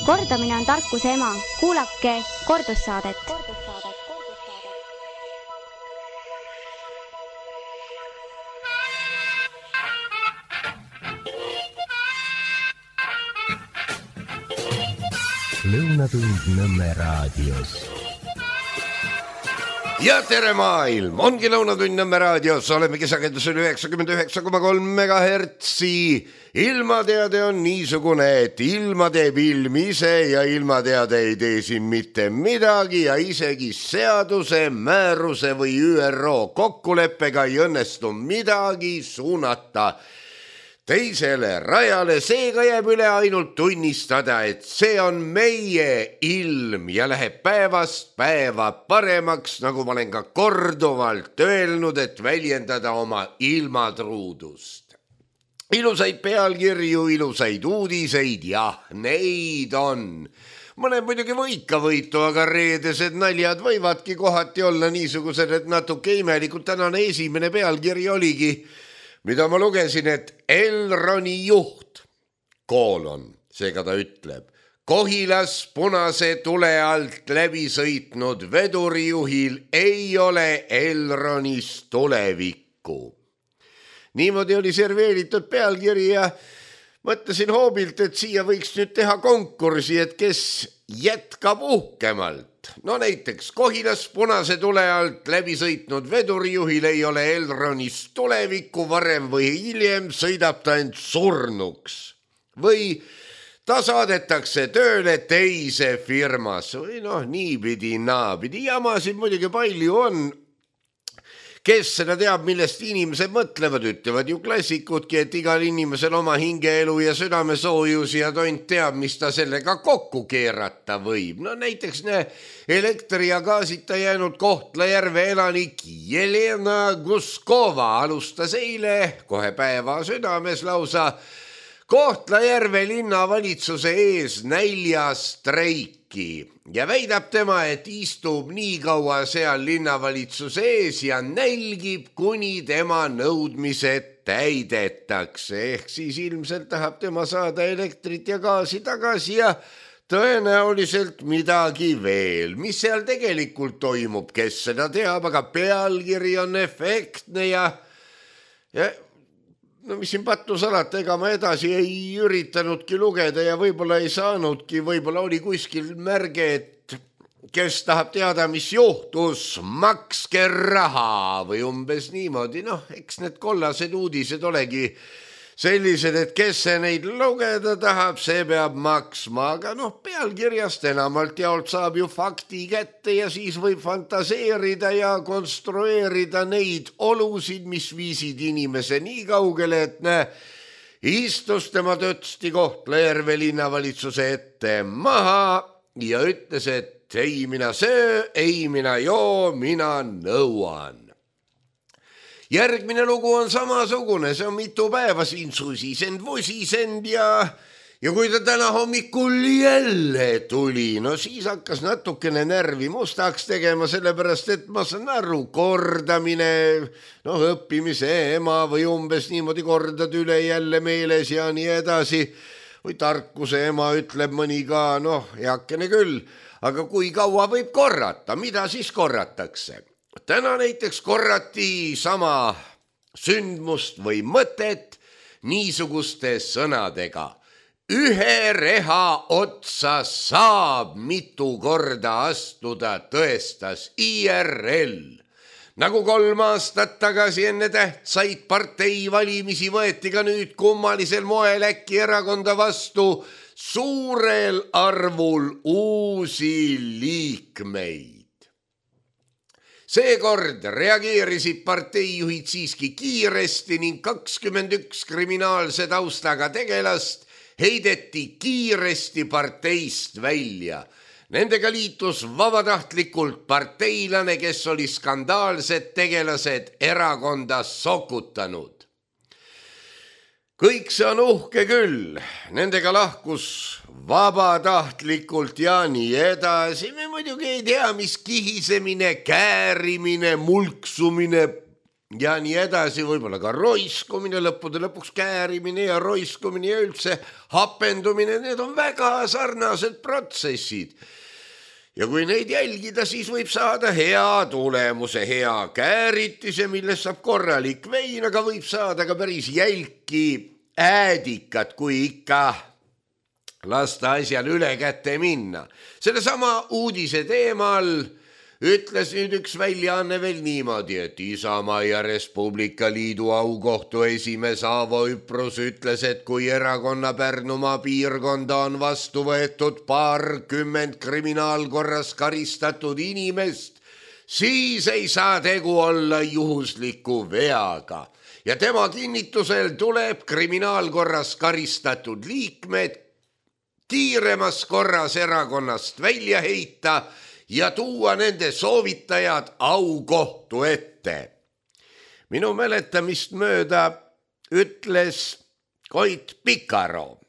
Kordamine on tarkuse ema. Kuulake kordussaadet. Lõunatund Nõmme raadios. Ja tere maailm, ongi Lõunatund Nõmme raadios, oleme kesakendusel 99,3 MHz. Ilmateade on niisugune, et ilma teeb ilm ise ja ilmateade ei tee siin mitte midagi ja isegi seaduse, määruse või ÜRO kokkuleppega ei õnnestu midagi suunata teisele rajale, seega jääb üle ainult tunnistada, et see on meie ilm ja läheb päevast päeva paremaks, nagu ma olen ka korduvalt öelnud, et väljendada oma ilmatruudust. Ilusaid pealkirju, ilusaid uudiseid, jah, neid on. Mõned muidugi võikavõitu, aga reedesed naljad võivadki kohati olla niisugused, et natuke imelikult. Tänane esimene pealkiri oligi, mida ma lugesin, et Elroni juht, seega ta ütleb, Kohilas punase tule alt läbi sõitnud vedurijuhil ei ole Elronis tulevikku. Niimoodi oli serveeritud pealkiri ja mõtlesin hoobilt, et siia võiks nüüd teha konkursi, et kes jätkab uhkemalt. No näiteks Kohilas punase tule alt läbi sõitnud vedurijuhil ei ole Elronis tulevikku, varem või hiljem sõidab ta end surnuks. Või ta saadetakse tööle teise firmas või niipidi naapidi. Jamasid muidugi palju on. Kes seda teab, millest inimesed mõtlevad, ütlevad ju klassikudki, et igal inimesel oma hingeelu ja südamesoojus ja tont teab, mis ta sellega kokku keerata võib. No näiteks elektri ja gaasita jäänud Kohtla-Järve elanik Jelena Guskova alustas eile kohe päeva südames lausa Kohtla-Järve linnavalitsuse ees näljastreiki. Ja väidab tema, et istub nii kaua seal linnavalitsuse ees ja nälgib, kuni tema nõudmised täidetakse. Ehk siis ilmselt tahab tema saada elektrit ja gaasi tagasi ja tõenäoliselt midagi veel. Mis seal tegelikult toimub, kes seda teab, aga pealkiri on efektne ja mis siin pattu salata, ega ma edasi ei üritanudki lugeda ja võib-olla ei saanudki, võib-olla oli kuskil märge, et kes tahab teada, mis juhtus, makske raha või umbes niimoodi. Eks need kollased uudised olegi sellised, et kes see neid lugeda tahab, see peab maksma, aga pealkirjast enamalt jaolt saab ju fakti kätte ja siis võib fantaseerida ja konstrueerida neid olusid, mis viisid inimese nii kaugele, et istus tema tötsti Kohtla-Järve linnavalitsuse ette maha ja ütles, et ei mina söö, ei mina joo, mina nõuan. Järgmine lugu on samasugune, see on mitu päeva siin susisend, vusisend ja kui ta täna hommikul jälle tuli, siis hakkas natukene närvi mustaks tegema, sellepärast et ma saan aru, kordamine, õppimise ema või umbes niimoodi kordad üle jälle meeles ja nii edasi. Või tarkuse ema ütleb mõni ka, heakene küll, aga kui kaua võib korrata, mida siis korratakse? Täna näiteks korrati sama sündmust või mõtet niisuguste sõnadega. Ühe reha otsa saab mitu korda astuda, tõestas IRL. Nagu 3 aastat tagasi enne tähtsaid parteivalimisi võeti ka nüüd kummalisel moel äkki erakonda vastu suurel arvul uusi liikmeid. Seekord reageerisid parteijuhid siiski kiiresti ning 21 kriminaalse taustaga tegelast heideti kiiresti parteist välja. Nendega liitus vabatahtlikult parteilane, kes oli skandaalsed tegelased erakonda sokutanud. Kõik see on uhke küll, nendega lahkus vabatahtlikult ja nii edasi. Me muidugi ei tea, mis kihisemine, käärimine, mulksumine ja nii edasi, võib-olla ka roiskumine, lõppude lõpuks käärimine ja roiskumine ja üldse hapendumine, need on väga sarnased protsessid. Ja kui neid jälgida, siis võib saada hea tulemuse, hea kääritise, millest saab korralik vein, aga võib saada ka päris jälki äädikat, kui ikka lasta asjal üle kätte minna. Sellesama uudise teemal ütles nüüd üks väljaanne veel niimoodi, et Isamaa ja Respublika Liidu aukohtu esimees Aavo Üprus ütles, et kui erakonna Pärnumaa piirkonda on vastu võetud 20 kriminaalkorras karistatud inimest, siis ei saa tegu olla juhusliku veaga. Ja tema kinnitusel tuleb kriminaalkorras karistatud liikmed kiiremas korras erakonnast välja heita ja tuua nende soovitajad aukohtu ette. Minu mäletamist mööda ütles Koit Pikaro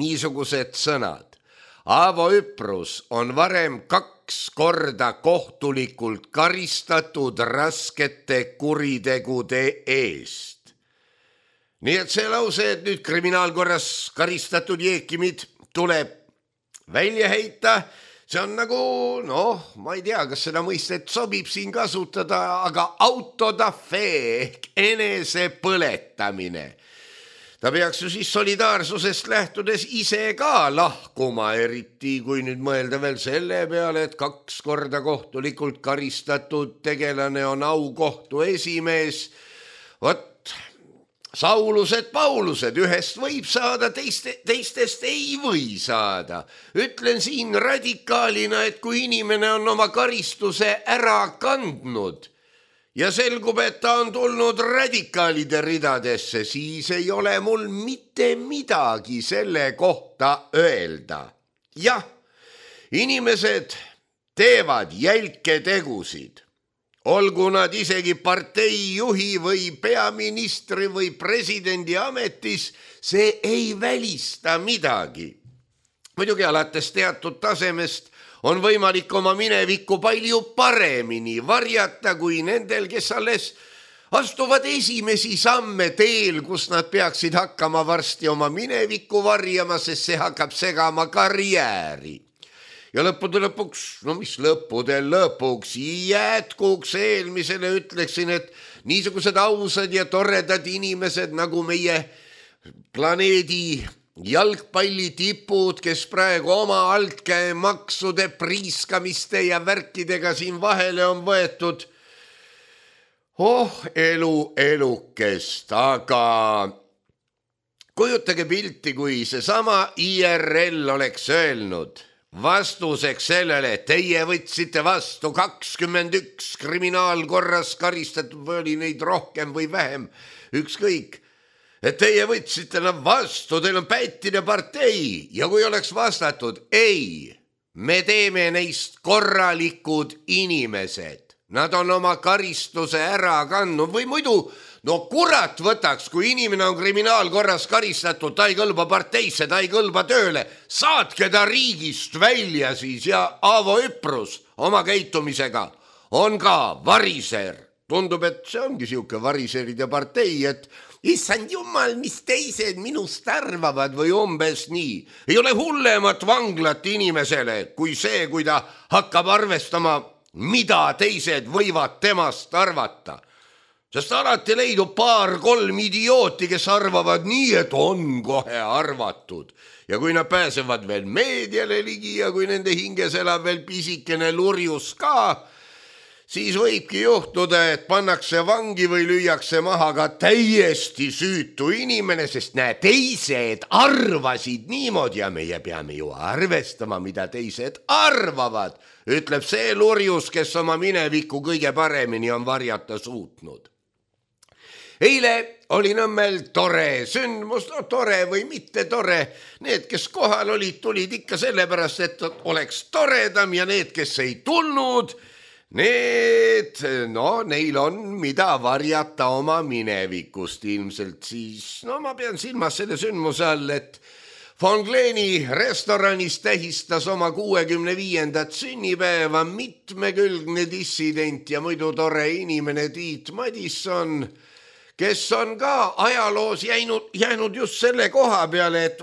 niisugused sõnad. Aavo Üprus on varem 2 korda kohtulikult karistatud raskete kuritegude eest. Nii et see lause, et nüüd kriminaalkorras karistatud jeekimid tuleb välja heita, see on nagu, ma ei tea, kas seda mõistet sobib siin kasutada, aga autodafee ehk enese põletamine. Ta peaks ju siis solidaarsusest lähtudes ise ka lahkuma, eriti kui nüüd mõelda veel selle peale, et 2 korda kohtulikult karistatud tegelane on aukohtu esimees. Vot, Saulused, Paulused, ühest võib saada, teistest ei või saada. Ütlen siin radikaalina, et kui inimene on oma karistuse ära kandnud ja selgub, et ta on tulnud radikaalide ridadesse, siis ei ole mul mitte midagi selle kohta öelda. Jah, inimesed teevad jälke tegusid. Olgu nad isegi parteijuhi või peaministri või presidendi ametis, see ei välista midagi. Muidugi alates teatud tasemest on võimalik oma minevikku palju paremini varjata kui nendel, kes alles astuvad esimesi samme teel, kus nad peaksid hakkama varsti oma minevikku varjama, sest see hakkab segama karjääri. Ja lõppude lõpuks, lõpuks jätkuks eelmisele ütleksin, et niisugused ausad ja toredad inimesed nagu meie planeedi jalgpallitipud, kes praegu oma altkäemaksude priiskamiste ja värkidega siin vahele on võetud. Elukest, aga kujutage pilti, kui seesama IRL oleks öelnud vastuseks sellele, et teie võtsite vastu 21 kriminaalkorras karistatud, või oli neid rohkem või vähem, ükskõik, et teie võtsite nad vastu, teil on pättine partei, ja kui oleks vastatud, ei, me teeme neist korralikud inimesed, nad on oma karistuse ära kandnud või muidu, kurat võtaks, kui inimene on kriminaalkorras karistatud, ta ei kõlba parteisse, ta ei kõlba tööle, saatke ta riigist välja siis ja Aavo Üprus oma käitumisega on ka variser. Tundub, et see ongi siuke variseride partei, et issand jumal, mis teised minust arvavad või umbes nii. Ei ole hullemat vanglat inimesele kui see, kui ta hakkab arvestama, mida teised võivad temast arvata. Sest alati leidub 2-3 idiooti, kes arvavad nii, et on kohe arvatud. Ja kui nad pääsevad veel meediale ligi ja kui nende hinges elab veel pisikene lurjus ka, siis võibki juhtuda, et pannakse vangi või lüüakse maha ka täiesti süütu inimene, sest teised arvasid niimoodi ja meie peame ju arvestama, mida teised arvavad, ütleb see lurjus, kes oma minevikku kõige paremini on varjata suutnud. Eile oli Nõmmel tore sündmus, tore või mitte tore. Need, kes kohal olid, tulid ikka sellepärast, et oleks toredam ja need, kes ei tulnud, neil on mida varjata oma minevikust ilmselt siis. Ma pean silmas selle sündmuse all, et Von Kleeni restoranis tähistas oma 65. sünnipäeva mitmekülgne dissident ja muidu tore inimene Tiit Madisson, kes on ka ajaloos jäänud just selle koha peale, et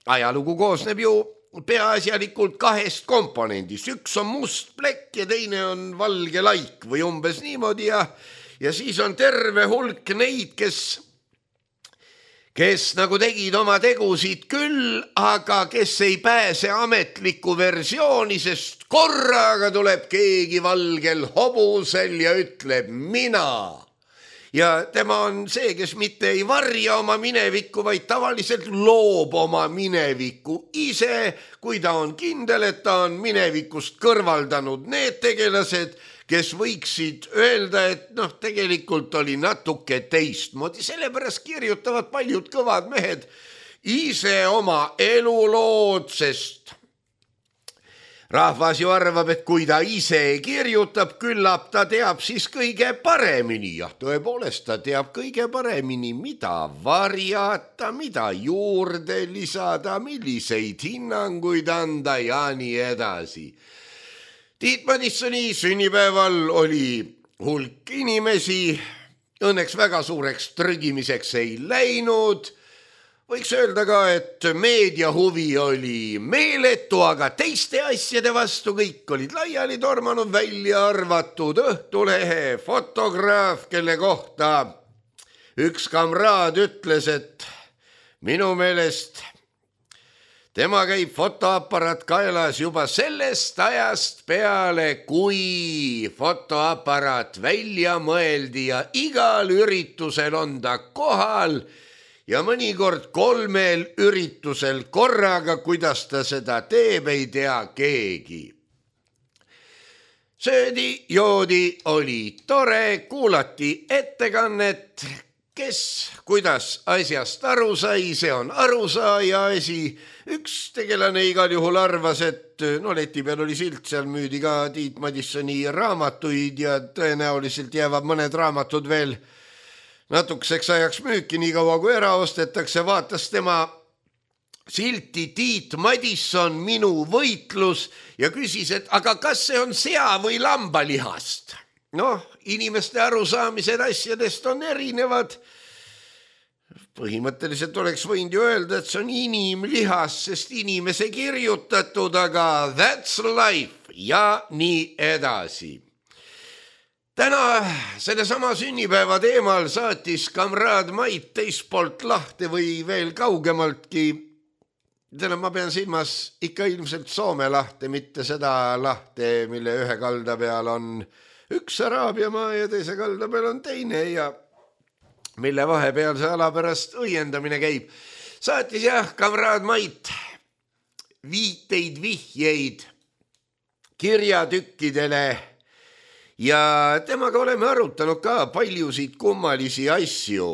ajalugu koosneb ju peaasjalikult 2 komponendist. Üks on must plekk ja teine on valge laik või umbes niimoodi ja siis on terve hulk neid, kes nagu tegid oma tegusid küll, aga kes ei pääse ametlikku versiooni, sest korraga tuleb keegi valgel hobusel ja ütleb mina. Ja tema on see, kes mitte ei varja oma minevikku, vaid tavaliselt loob oma minevikku ise, kui ta on kindel, et ta on minevikust kõrvaldanud need tegelased, kes võiksid öelda, et tegelikult oli natuke teistmoodi. Sellepärast kirjutavad paljud kõvad mehed ise oma elulood, sest rahvas ju arvab, et kui ta ise kirjutab, küllap ta teab siis kõige paremini. Ja tõepoolest ta teab kõige paremini, mida varjata, mida juurde lisada, milliseid hinnanguid anda ja nii edasi. Tiit Madissoni sünnipäeval oli hulk inimesi, õnneks väga suureks trügimiseks ei läinud. Võiks öelda ka, et meedia huvi oli meeletu, aga teiste asjade vastu kõik olid laiali tormanud, välja arvatud Õhtulehe fotograaf, kelle kohta üks kamraad ütles, et minu meelest tema käib fotoaparaat kaelas juba sellest ajast peale, kui fotoaparaat välja mõeldi ja igal üritusel on ta kohal ja mõnikord 3 üritusel korraga, kuidas ta seda teeb, ei tea keegi. Söödi, joodi, oli tore, kuulati ettekannet, kes kuidas asjast aru sai, see on arusaaja asi. Üks tegelane igal juhul arvas, et leti peal oli silt, seal müüdi ka Tiit Madissoni raamatuid ja tõenäoliselt jäävad mõned raamatud veel natukeseks ajaks müüki, nii kaua kui ära ostetakse, vaatas tema silti Tiit Madisson, minu võitlus ja küsis, et aga kas see on sea või lambalihast? Inimeste arusaamised asjadest on erinevad. Põhimõtteliselt oleks võinud ju öelda, et see on inimlihas, sest inimese kirjutatud, aga that's life ja nii edasi. Täna selle sama sünnipäeva teemal saatis kamraad Mait teispoolt lahte või veel kaugemaltki. Ma pean silmas ikka ilmselt Soome lahte, mitte seda lahte, mille ühe kalda peal on üks Araabia maa ja teise kalda peal on teine ja mille vahepeal see ala pärast õiendamine käib. Saatis kamraad Mait vihjeid kirjatükkidele ja temaga oleme arutanud ka paljusid kummalisi asju.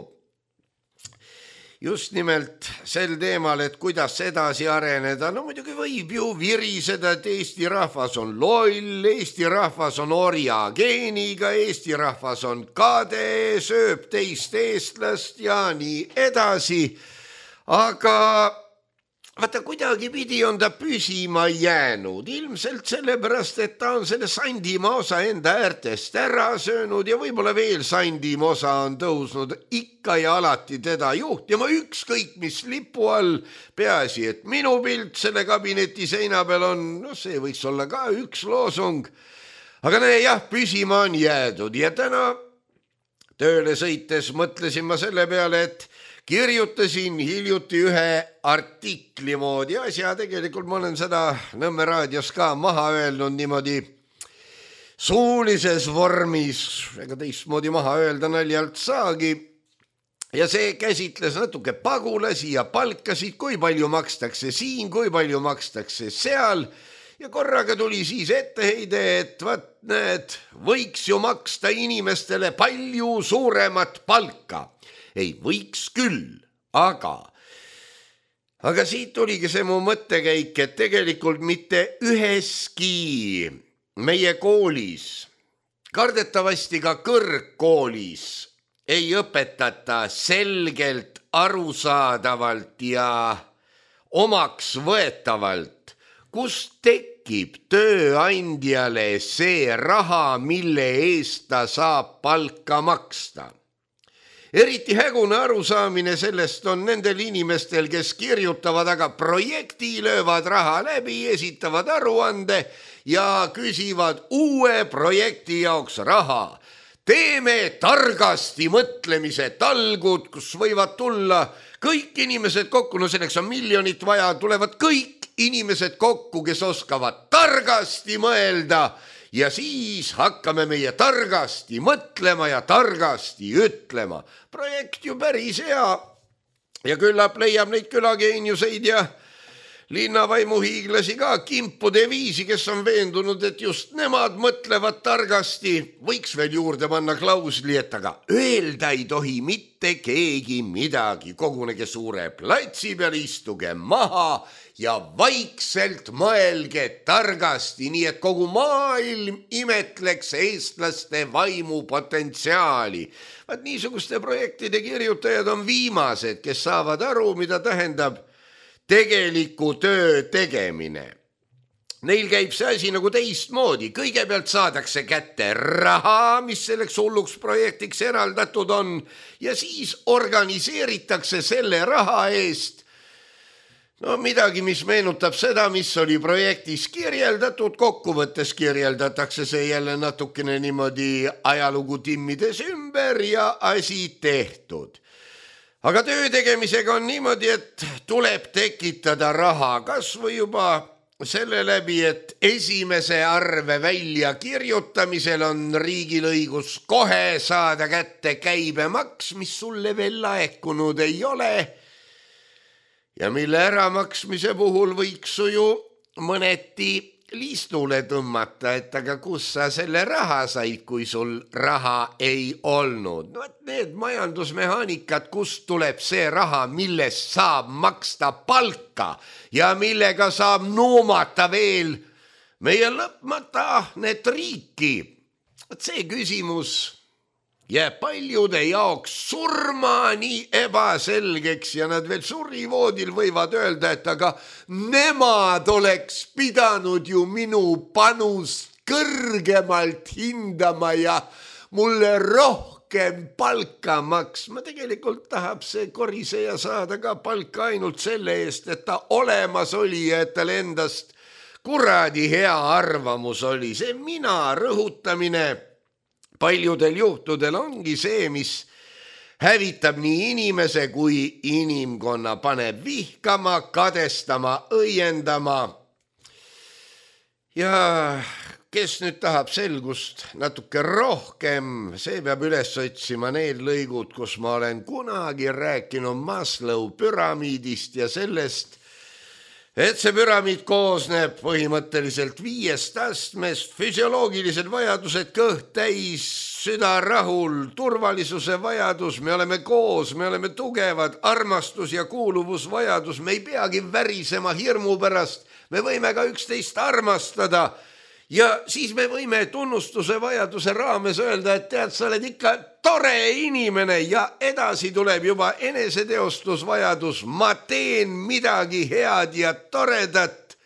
Just nimelt sel teemal, et kuidas edasi areneda. Muidugi võib ju viriseda, et Eesti rahvas on loll, Eesti rahvas on orja geeniga, Eesti rahvas on kade, sööb teist eestlast ja nii edasi. Aga vaata, kuidagi pidi on ta püsima jäänud, ilmselt sellepärast, et ta on selle Sandimaa osa enda äärtest ära söönud ja võib-olla veel Sandimaa osa on tõusnud ikka ja alati teda juhtima, ükskõik mis lipu all, peaasi, et minu pilt selle kabineti seina peal on, see võiks olla ka üks loosung, aga püsima on jäädud ja täna tööle sõites mõtlesin ma selle peale, et kirjutasin hiljuti ühe artikli moodi asja, tegelikult ma olen seda Nõmme raadios ka maha öelnud niimoodi suulises vormis, ega teistmoodi maha öelda naljalt saagi. Ja see käsitles natuke pagulasi ja palkasid, kui palju makstakse siin, kui palju makstakse seal ja korraga tuli siis etteheide, et näed, võiks ju maksta inimestele palju suuremat palka. Ei, võiks küll, aga siit tuligi see mu mõttekäik, et tegelikult mitte üheski meie koolis, kardetavasti ka kõrgkoolis, ei õpetata selgelt, arusaadavalt ja omaks võetavalt, kust tekib tööandjale see raha, mille eest ta saab palka maksta. Eriti hägune arusaamine sellest on nendel inimestel, kes kirjutavad aga projekti, löövad raha läbi, esitavad aruande ja küsivad uue projekti jaoks raha. Teeme targasti mõtlemise talgud, kus võivad tulla kõik inimesed kokku, no selleks on miljonit vaja, tulevad kõik inimesed kokku, kes oskavad targasti mõelda ja siis hakkame meie targasti mõtlema ja targasti ütlema. Projekt ju päris hea ja küllap leiab neid külageeniuseid ja linnavaimuhiiglasi ka kimpude viisi, kes on veendunud, et just nemad mõtlevad targasti. Võiks veel juurde panna klausli, et aga öelda ei tohi mitte keegi midagi. Kogunege suure platsi peal, istuge maha ja vaikselt mõelge targasti, nii et kogu maailm imetleks eestlaste vaimupotentsiaali. Vaat niisuguste projektide kirjutajad on viimased, kes saavad aru, mida tähendab tegeliku töö tegemine. Neil käib see asi nagu teistmoodi. Kõigepealt saadakse kätte raha, mis selleks hulluks projektiks eraldatud on, ja siis organiseeritakse selle raha eest midagi, mis meenutab seda, mis oli projektis kirjeldatud. Kokkuvõttes kirjeldatakse see jälle natukene niimoodi ajalugu timmides ümber ja asi tehtud. Aga töö tegemisega on niimoodi, et tuleb tekitada raha, kas või juba selle läbi, et esimese arve välja kirjutamisel on riigil õigus kohe saada kätte käibemaks, mis sulle veel laekunud ei ole ja mille äramaksmise puhul võiks su ju mõneti liistule tõmmata, et aga kus sa selle raha said, kui sul raha ei olnud. Need majandusmehaanikad, kust tuleb see raha, millest saab maksta palka ja millega saab nuumata veel meie lõpmata need riiki. See küsimus jääb paljude jaoks surmani ebaselgeks ja nad veel surivoodil võivad öelda, et aga nemad oleks pidanud ju minu panust kõrgemalt hindama ja mulle rohkem palka maksma. Tegelikult tahab see koriseja saada ka palka ainult selle eest, et ta olemas oli ja et tal endast kuradi hea arvamus oli. See mina rõhutamine paljudel juhtudel ongi see, mis hävitab nii inimese kui inimkonna, paneb vihkama, kadestama, õiendama. Ja kes nüüd tahab selgust natuke rohkem, see peab üles otsima need lõigud, kus ma olen kunagi rääkinud Maslow püramiidist ja sellest, et see püramiid koosneb põhimõtteliselt 5 astmest, füsioloogilised vajadused, kõht täis, süda rahul, turvalisuse vajadus, me oleme koos, me oleme tugevad, armastus ja kuuluvusvajadus, me ei peagi värisema hirmu pärast, me võime ka üksteist armastada ja siis me võime tunnustuse vajaduse raames öelda, et tead, sa oled ikka tore inimene ja edasi tuleb juba eneseteostusvajadus, ma teen midagi head ja toredat.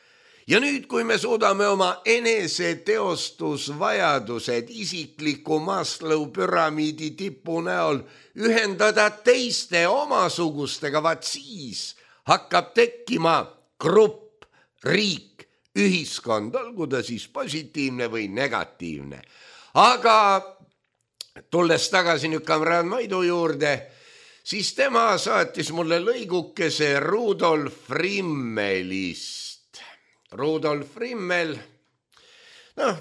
Ja nüüd, kui me suudame oma eneseteostusvajadused isikliku Maslow püramiidi tipu näol ühendada teiste omasugustega, vaat siis hakkab tekkima grupp, riik, ühiskond, olgu ta siis positiivne või negatiivne. Aga tulles tagasi nüüd Kamran Maidu juurde, siis tema saatis mulle lõigukese Rudolf Rimmelist. Rudolf Rimmel,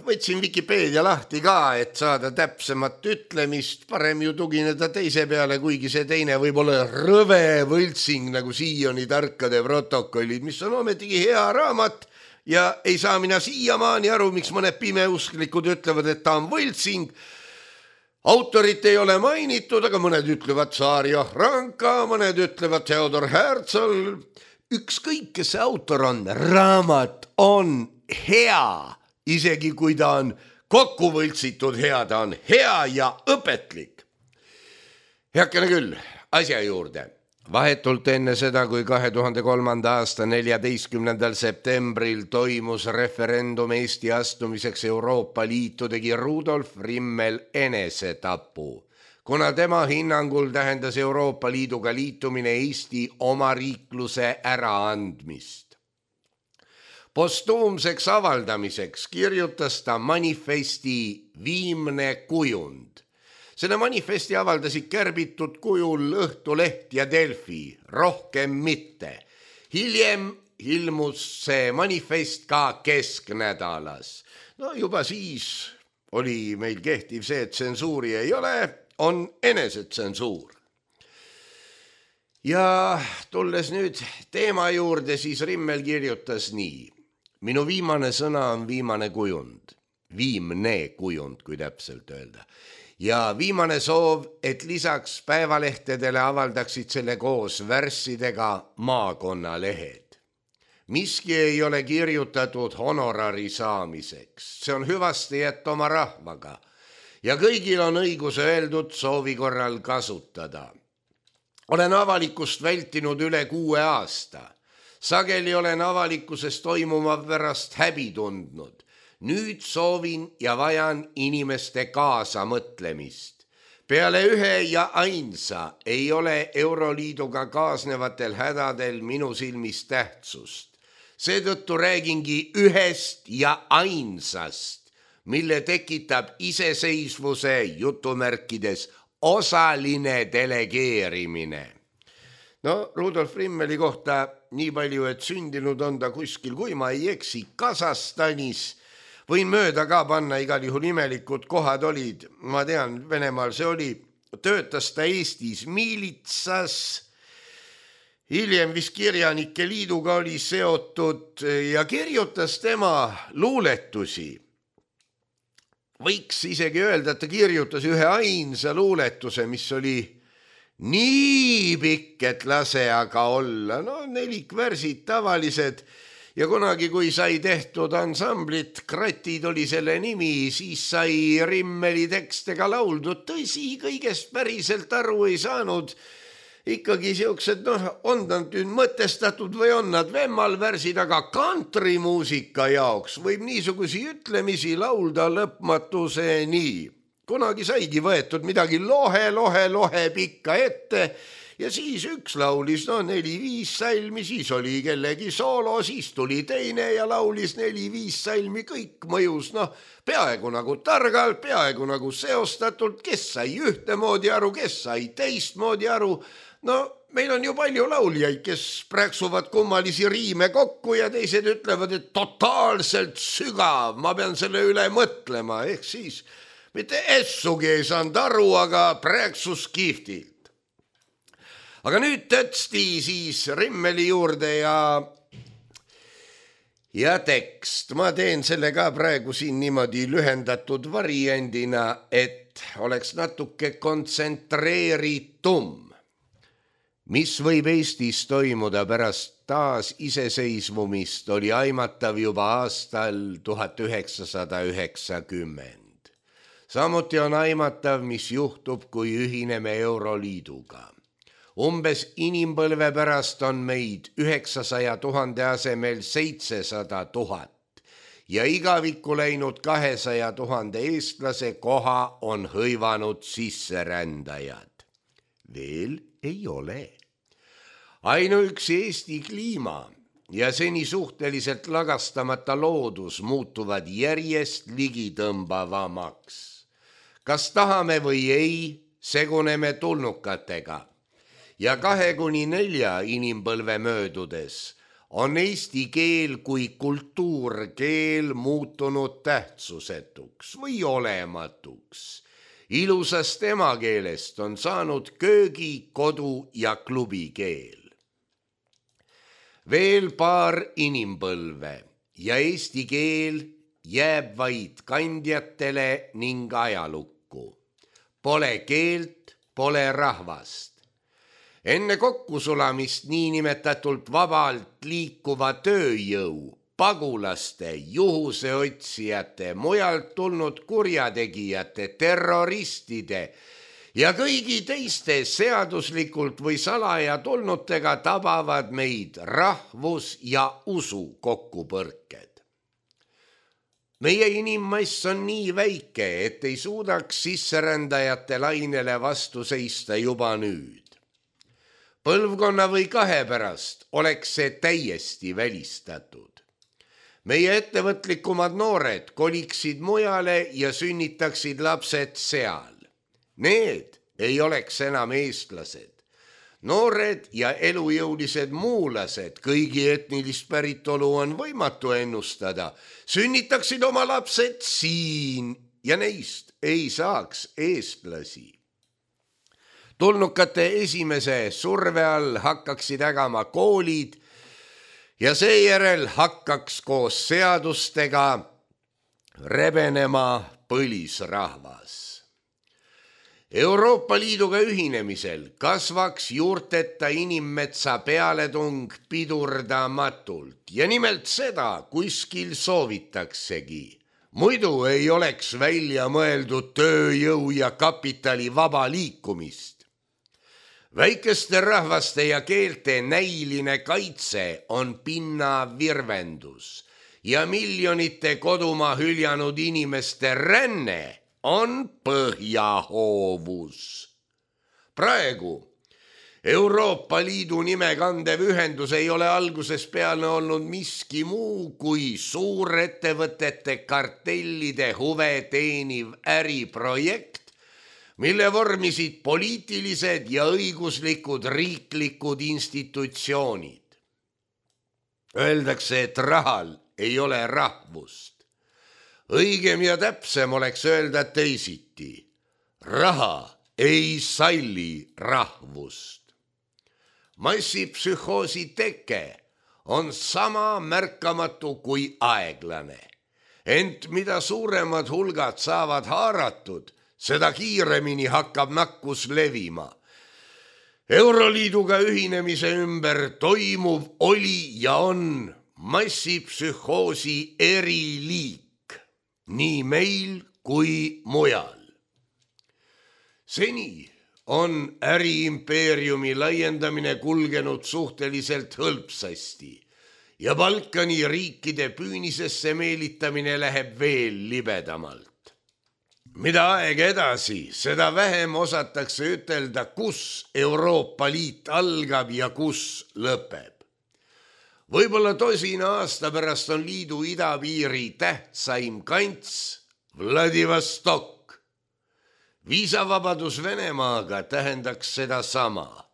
võtsin Wikipeedia lahti ka, et saada täpsemat ütlemist, parem ju tugineda teise peale, kuigi see teine võib olla rõve võltsing nagu Sioni tarkade protokollid, mis on ometigi hea raamat ja ei saa mina siiamaani aru, miks mõned pimeusklikud ütlevad, et ta on võltsing. Autorit ei ole mainitud, aga mõned ütlevad Saarja Ranka, mõned ütlevad Theodor Herzl. Ükskõik, kes see autor on, raamat on hea, isegi kui ta on kokku võltsitud hea, ta on hea ja õpetlik. Heakene küll, asja juurde. Vahetult enne seda, kui 2003. aasta 14. septembril toimus referendum Eesti astumiseks Euroopa Liitu, tegi Rudolf Rimmel enesetapu, kuna tema hinnangul tähendas Euroopa Liiduga liitumine Eesti omariikluse äraandmist. Postuumseks avaldamiseks kirjutas ta manifesti Viimne kujund. Selle manifesti avaldasid kärbitud kujul Õhtuleht ja Delfi, rohkem mitte. Hiljem ilmus see manifest ka Kesknädalas. No juba siis oli meil kehtiv see, et tsensuuri ei ole, on enesetsensuur. Ja tulles nüüd teema juurde, siis Rimmel kirjutas nii. Minu viimane sõna on viimane kujund. Viimne kujund, kui täpselt öelda. Ja viimane soov, et lisaks päevalehtedele avaldaksid selle koos värssidega maakonnalehed. Miski ei ole kirjutatud honorari saamiseks. See on hüvasti jätta oma rahvaga. Ja kõigil on õigus öeldud soovi korral kasutada. Olen avalikust vältinud üle 6 aasta. Sageli olen avalikkuses toimuma pärast häbi tundnud. Nüüd soovin ja vajan inimeste kaasamõtlemist. Peale ühe ja ainsa ei ole Euroliiduga kaasnevatel hädadel minu silmis tähtsust. Seetõttu räägingi ühest ja ainsast, mille tekitab iseseisvuse jutumärkides osaline delegeerimine. No, Rudolf Rimmeli kohta nii palju, et sündinud on ta kuskil, kui ma ei eksi, Kasahstanis. Võin mööda ka panna, igal juhul imelikud kohad olid. Ma tean, Venemaal see oli. Töötas ta Eestis miilitsas. Hiljem vist Kirjanike Liiduga oli seotud ja kirjutas tema luuletusi. Võiks isegi öelda, et ta kirjutas ühe ainsa luuletuse, mis oli nii pikk, et lase aga olla. No 4 värsid tavalised ja kunagi, kui sai tehtud ansamblit, Kratid oli selle nimi, siis sai Rimmeli tekstega lauldud. Tõsi, kõigest päriselt aru ei saanud. Ikkagi siuksed, on nad nüüd mõtestatud või on nad vemmalvärsid, aga kantrimuusika jaoks võib niisugusi ütlemisi laulda lõpmatuseni. Kunagi saigi võetud midagi lohe pikka ette ja siis üks laulis 4-5 salmi, siis oli kellegi soolo, siis tuli teine ja laulis 4-5 salmi, kõik mõjus peaaegu nagu targalt, peaaegu nagu seostatult, kes sai ühtemoodi aru, kes sai teistmoodi aru. Meil on ju palju lauljaid, kes prääksuvad kummalisi riime kokku ja teised ütlevad, et totaalselt sügav, ma pean selle üle mõtlema, ehk siis mitte essugi ei saanud aru, aga prääksus kihvtilt. Aga nüüd tõtsti siis Rimmeli juurde ja tekst. Ma teen selle ka praegu siin niimoodi lühendatud variandina, et oleks natuke kontsentreeritum. Mis võib Eestis toimuda pärast taas iseseisvumist, oli aimatav juba aastal 1990. Samuti on aimatav, mis juhtub, kui ühineme Euroliiduga. Umbes inimpõlve pärast on meid 900 000 asemel 700 000 ja igavikku läinud 200 000 eestlase koha on hõivanud sisserändajad. Veel ei ole. Ainuüksi Eesti kliima ja seni suhteliselt lagastamata loodus muutuvad järjest ligitõmbavamaks. Kas tahame või ei, seguneme tulnukatega ja 2-4 inimpõlve möödudes on eesti keel kui kultuurkeel muutunud tähtsusetuks või olematuks. Ilusast emakeelest on saanud köögi, kodu ja klubikeel. Veel paar inimpõlve ja eesti keel jääb vaid kandjatele ning ajalukku. Pole keelt, pole rahvast. Enne kokkusulamist niinimetatult vabalt liikuva tööjõu, pagulaste, juhuseotsijate, mujalt tulnud kurjategijate, terroristide ja kõigi teiste seaduslikult või salaja tulnutega tabavad meid rahvus- ja usu kokkupõrked. Meie inimmass on nii väike, et ei suudaks sisserändajate lainele vastu seista juba nüüd. Põlvkonna või 2 pärast oleks see täiesti välistatud. Meie ettevõtlikumad noored koliksid mujale ja sünnitaksid lapsed seal. Need ei oleks enam eestlased. Noored ja elujõulised muulased, kõigi etnilist päritolu on võimatu ennustada, sünnitaksid oma lapsed siin ja neist ei saaks eestlasi. Tulnukate esimese surve all hakkaksid ägama koolid ja seejärel hakkaks koos seadustega rebenema põlisrahvas. Euroopa Liiduga ühinemisel kasvaks juurteta inimmetsa pealetung pidurdamatult ja nimelt seda kuskil soovitaksegi. Muidu ei oleks välja mõeldud tööjõu ja kapitali vaba liikumist. Väikeste rahvaste ja keelte näiline kaitse on pinnavirvendus ja miljonite kodumaa hüljanud inimeste ränne on põhjahoovus. Praegu Euroopa Liidu nime kandev ühendus ei ole algusest peale olnud miski muu kui suurettevõtete kartellide huve teeniv äriprojekt, mille vormisid poliitilised ja õiguslikud riiklikud institutsioonid. Öeldakse, et rahal ei ole rahvust. Õigem ja täpsem oleks öelda teisiti. Raha ei salli rahvust. Massipsühhoosi teke on sama märkamatu kui aeglane. Ent mida suuremad hulgad saavad haaratud, seda kiiremini hakkab nakkus levima. Euroliiduga ühinemise ümber toimuv oli ja on massipsühhoosi eriliik. Nii meil kui mujal. Seni on äriimpeeriumi laiendamine kulgenud suhteliselt hõlpsasti ja Balkani riikide püünisesse meelitamine läheb veel libedamalt. Mida aeg edasi, seda vähem osatakse ütelda, kus Euroopa Liit algab ja kus lõpeb. Võib-olla 2 aasta pärast on liidu idapiiri tähtsaim kants Vladivostok. Viisavabadus Venemaaga tähendaks seda sama.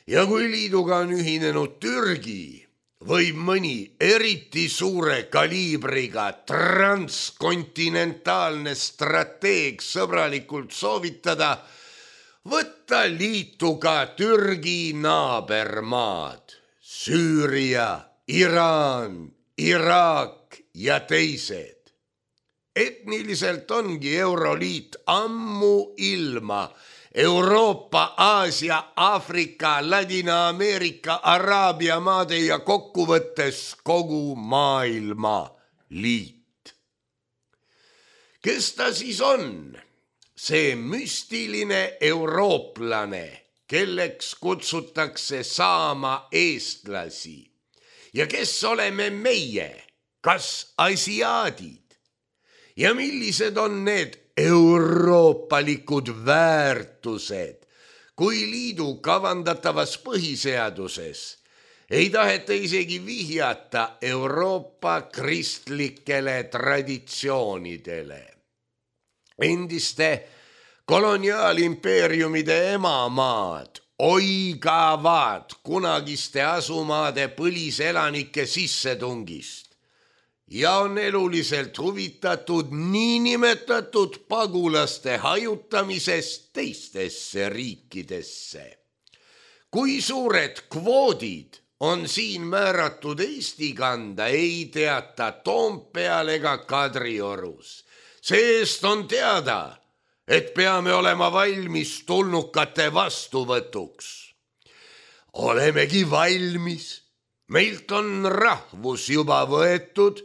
Ja kui liiduga on ühinenud Türgi, võib mõni eriti suure kaliibriga transkontinentaalne strateeg sõbralikult soovitada võtta liitu ka Türgi naabermaad. Süüria, Iraan, Iraak ja teised. Etniliselt ongi Euroliit ammu ilma Euroopa, Aasia, Aafrika, Ladina-Ameerika, Araabia maade ja kokkuvõttes kogu maailma liit. Kes ta siis on? See müstiline eurooplane, kelleks kutsutakse saama eestlasi. Ja kes oleme meie? Kas asiaadid? Ja millised on need euroopalikud väärtused, kui liidu kavandatavas põhiseaduses ei taheta isegi vihjata Euroopa kristlikele traditsioonidele. Endiste koloniaalimpeeriumide emamaad oigavad kunagiste asumaade põliselanike sissetungist ja on eluliselt huvitatud niinimetatud pagulaste hajutamisest teistesse riikidesse. Kui suured kvoodid on siin määratud Eesti kanda, ei teata Toompeal ega Kadriorus. Seest on teada, et peame olema valmis tulnukate vastuvõtuks. Olemegi valmis. Meilt on rahvus juba võetud,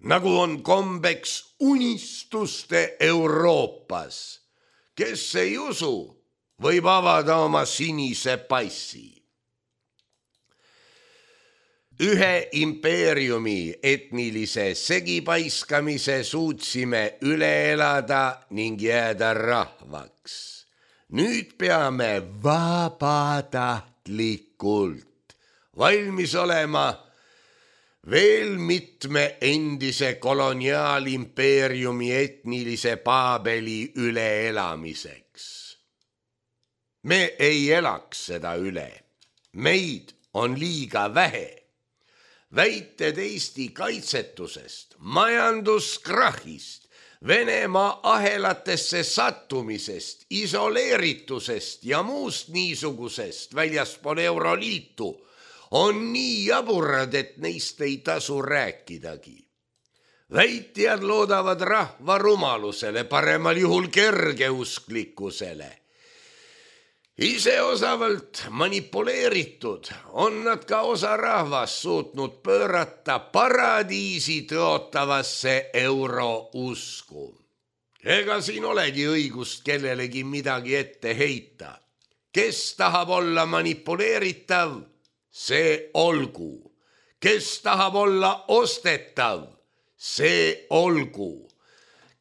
nagu on kombeks unistuste Euroopas. Kes ei usu, võib avada oma sinise passi. Ühe impeeriumi etnilise segipaiskamise suutsime üle elada ning jääda rahvaks. Nüüd peame vabatahtlikult valmis olema veel mitme endise koloniaalimpeeriumi etnilise paabeli üleelamiseks. Me ei elaks seda üle. Meid on liiga vähe. Väited Eesti kaitsetusest, majanduskrahhist, Venemaa ahelatesse sattumisest, isoleeritusest ja muust niisugusest väljaspool Euroliitu on nii jaburad, et neist ei tasu rääkidagi. Väitjad loodavad rahva rumalusele, paremal juhul kergeusklikkusele. Ise osavalt manipuleeritud on nad ka osa rahvast suutnud pöörata paradiisi tõotavasse eurousku. Ega siin olegi õigust kellelegi midagi ette heita. Kes tahab olla manipuleeritav, see olgu. Kes tahab olla ostetav, see olgu.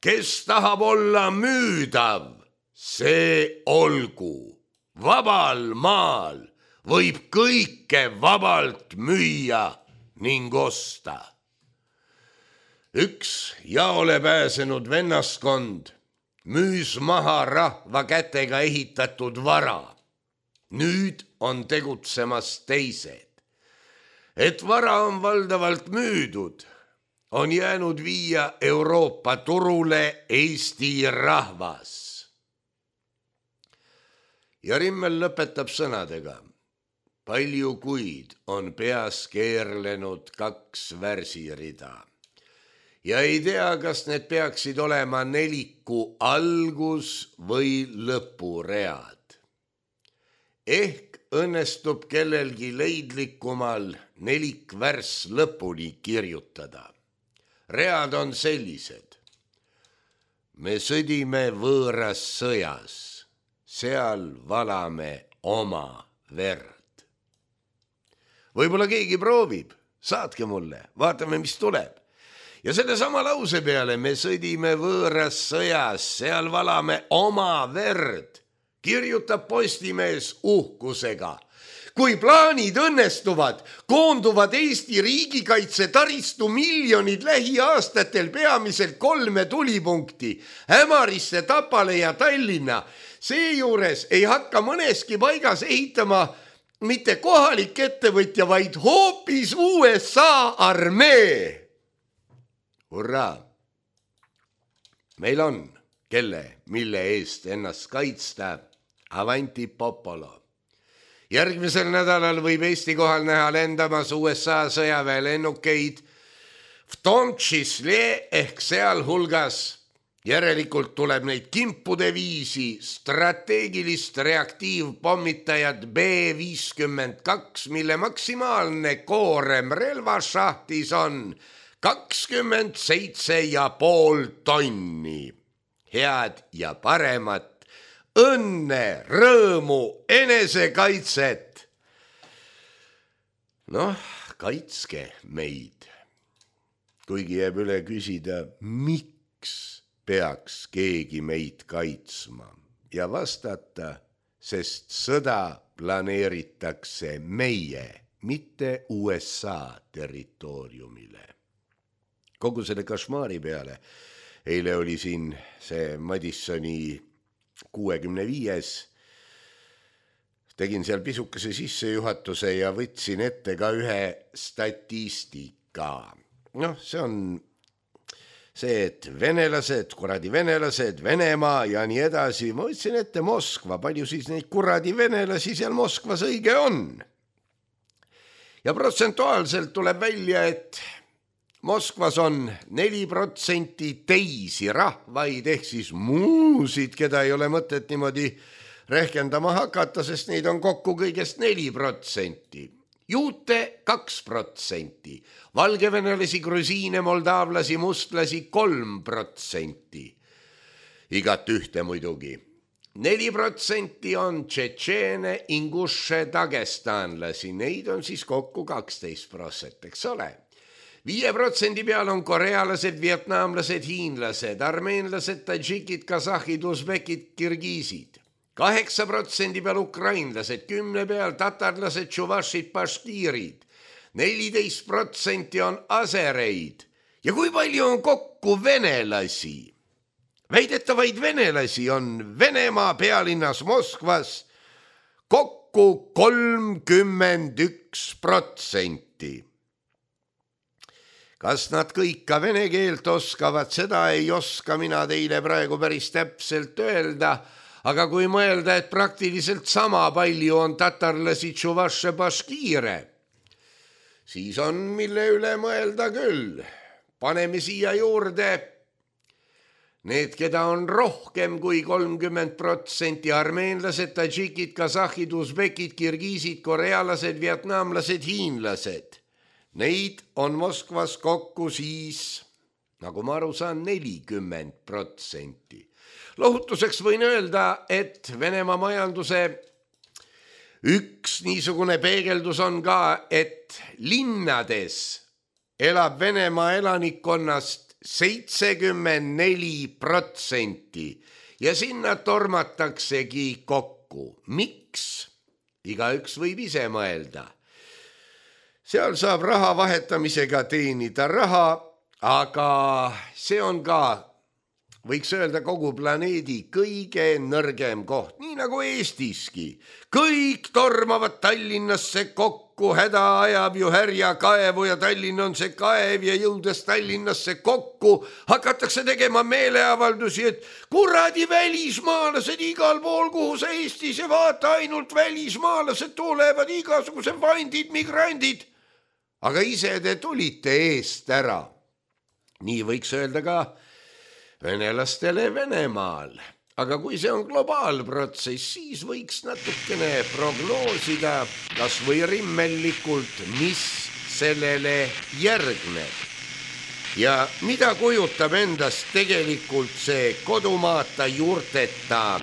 Kes tahab olla müüdav, see olgu. Vabal maal võib kõike vabalt müüa ning osta. Üks jaole pääsenud vennaskond müüs maha rahva kätega ehitatud vara. Nüüd on tegutsemas teised. Et vara on valdavalt müüdud, on jäänud viia Euroopa turule Eesti rahvas. Ja Rimmel lõpetab sõnadega. Palju kuid on peas keerlenud 2 värsirida. Ja ei tea, kas need peaksid olema neliku algus või lõpuread. Ehk õnnestub kellelgi leidlikumal nelikvärs lõpuni kirjutada. Read on sellised. Me sõdime võõras sõjas. Seal valame oma verd. Võib-olla keegi proovib, saatke mulle, vaatame, mis tuleb. Ja selle sama lause peale me sõdime võõras sõjas, seal valame oma verd, kirjutab Postimees uhkusega. Kui plaanid õnnestuvad, koonduvad Eesti riigikaitse taristu miljonid lähiaastatel peamiselt 3 tulipunkti, Ämarisse, Tapale ja Tallinna. Seejuures ei hakka mõneski paigas ehitama mitte kohalik ettevõtja, vaid hoopis USA armee. Hurraa! Meil on, mille eest ennast kaitsta, avanti popolo. Järgmisel nädalal võib Eesti kohal näha lendamas USA sõjaväelennukeid v tom čísle ehk sealhulgas. Järelikult tuleb neid kimpude viisi strateegilist reaktiivpommitajat B-52, mille maksimaalne koorem relvašahtis on 27,5 tonni. Head ja paremat, õnne, rõõmu, enesekaitset. Noh, kaitske meid. Kuigi jääb üle küsida, miks peaks keegi meid kaitsma ja vastata, sest sõda planeeritakse meie, mitte USA territooriumile. Kogu selle kašmaari peale, eile oli siin see Madisoni 65, tegin seal pisukese sissejuhatuse ja võtsin ette ka ühe statistika. Noh, see on see, et venelased, Venemaa ja nii edasi. Ma võtsin ette Moskva, palju siis neid kuradi venelasi seal Moskvas õige on. Ja protsentuaalselt tuleb välja, et Moskvas on 4% teisi rahvaid, ehk siis muusid, keda ei ole mõtet niimoodi rehkendama hakata, sest neid on kokku kõigest 4%. Juute 2%, valgevenelasi, grusiine, moldaavlasi, mustlasi 3%. Igat ühte muidugi. 4% on tšetšeene, inguše, dagestanlasi, neid on siis kokku 12%, eks ole. 5% peal on korealased, vietnamlased, hiinlased, armeenlased, tadžikid, kasahhid, usbekid, kirgiisid. 8% peal ukrainlased, 10 peal tatarlased, tšuvašid, paškiirid. 14% on asereid. Ja kui palju on kokku venelasi? Väidetavaid venelasi on Venemaa pealinnas Moskvas kokku 31%. Kas nad kõik ka vene keelt oskavad, seda ei oska mina teile praegu päris täpselt öelda, aga kui mõelda, et praktiliselt sama palju on tatarlasi, tšuvaše, baškiire, siis on mille üle mõelda küll. Paneme siia juurde need, keda on rohkem kui 30%, armeenlased, tadžikid, kasahhid, usbekid, kirgiisid, korealased, vietnamlased, hiinlased. Neid on Moskvas kokku siis, nagu ma aru saan, 40%. Lohutuseks võin öelda, et Venemaa majanduse üks niisugune peegeldus on ka, et linnades elab Venemaa elanikkonnast 74% ja sinna tormataksegi kokku. Miks? Igaüks võib ise mõelda. Seal saab raha vahetamisega teenida raha, aga see on ka, võiks öelda, kogu planeedi kõige nõrgem koht, nii nagu Eestiski. Kõik tormavad Tallinnasse kokku, häda ajab ju härja kaevu ja Tallinn on see kaev ja jõudes Tallinnasse kokku hakatakse tegema meeleavaldusi, et kuradi välismaalased igal pool, kuhu sa Eestis ja vaata, ainult välismaalased tulevad, igasugused vandid, migrandid. Aga ise te tulite eest ära. Nii võiks öelda ka venelastele Venemaal. Aga kui see on globaalprotsess, siis võiks natukene prognoosida kas või rimmellikult, mis sellele järgneb. Ja mida kujutab endast tegelikult see kodumaata juurteta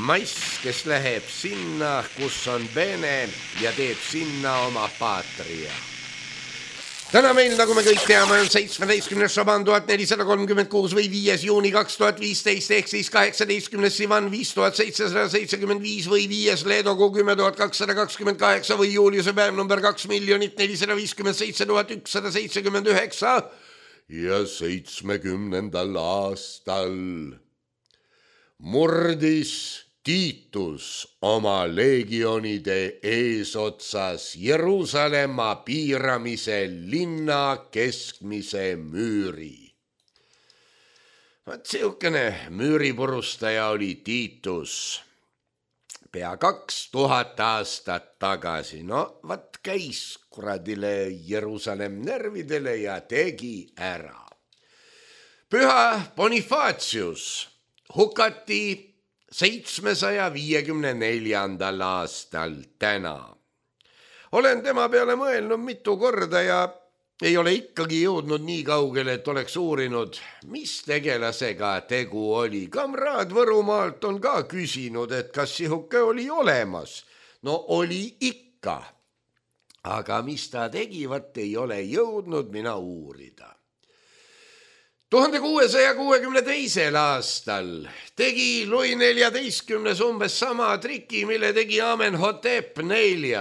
mass, kes läheb sinna, kus on Vene ja teeb sinna oma paatria. Täna meil, nagu me kõik teame, on 17. šaban 1436 või 5. juuni 2015 ehk siis 18. sivan 5775 või 5. leedokuu 10228 või juuliuse päev number 2 457 179 ja 70. aastal murdis Tiitus oma leegionide eesotsas Jeruusalemma piiramise linna keskmise müüri. Siukene müüripurustaja oli Tiitus pea 2000 aastat tagasi. No käis kuradile Jeruusalemm närvidele ja tegi ära. Püha Bonifacius hukati 754. aastal täna. Olen tema peale mõelnud mitu korda ja ei ole ikkagi jõudnud nii kaugele, et oleks uurinud, mis tegelasega tegu oli. Kamraad Võrumaalt on ka küsinud, et kas sihuke oli olemas. No oli ikka. Aga mis ta tegi, vaat ei ole jõudnud mina uurida. 1662. aastal tegi Louis XIV umbes sama triki, mille tegi Amenhotep IV.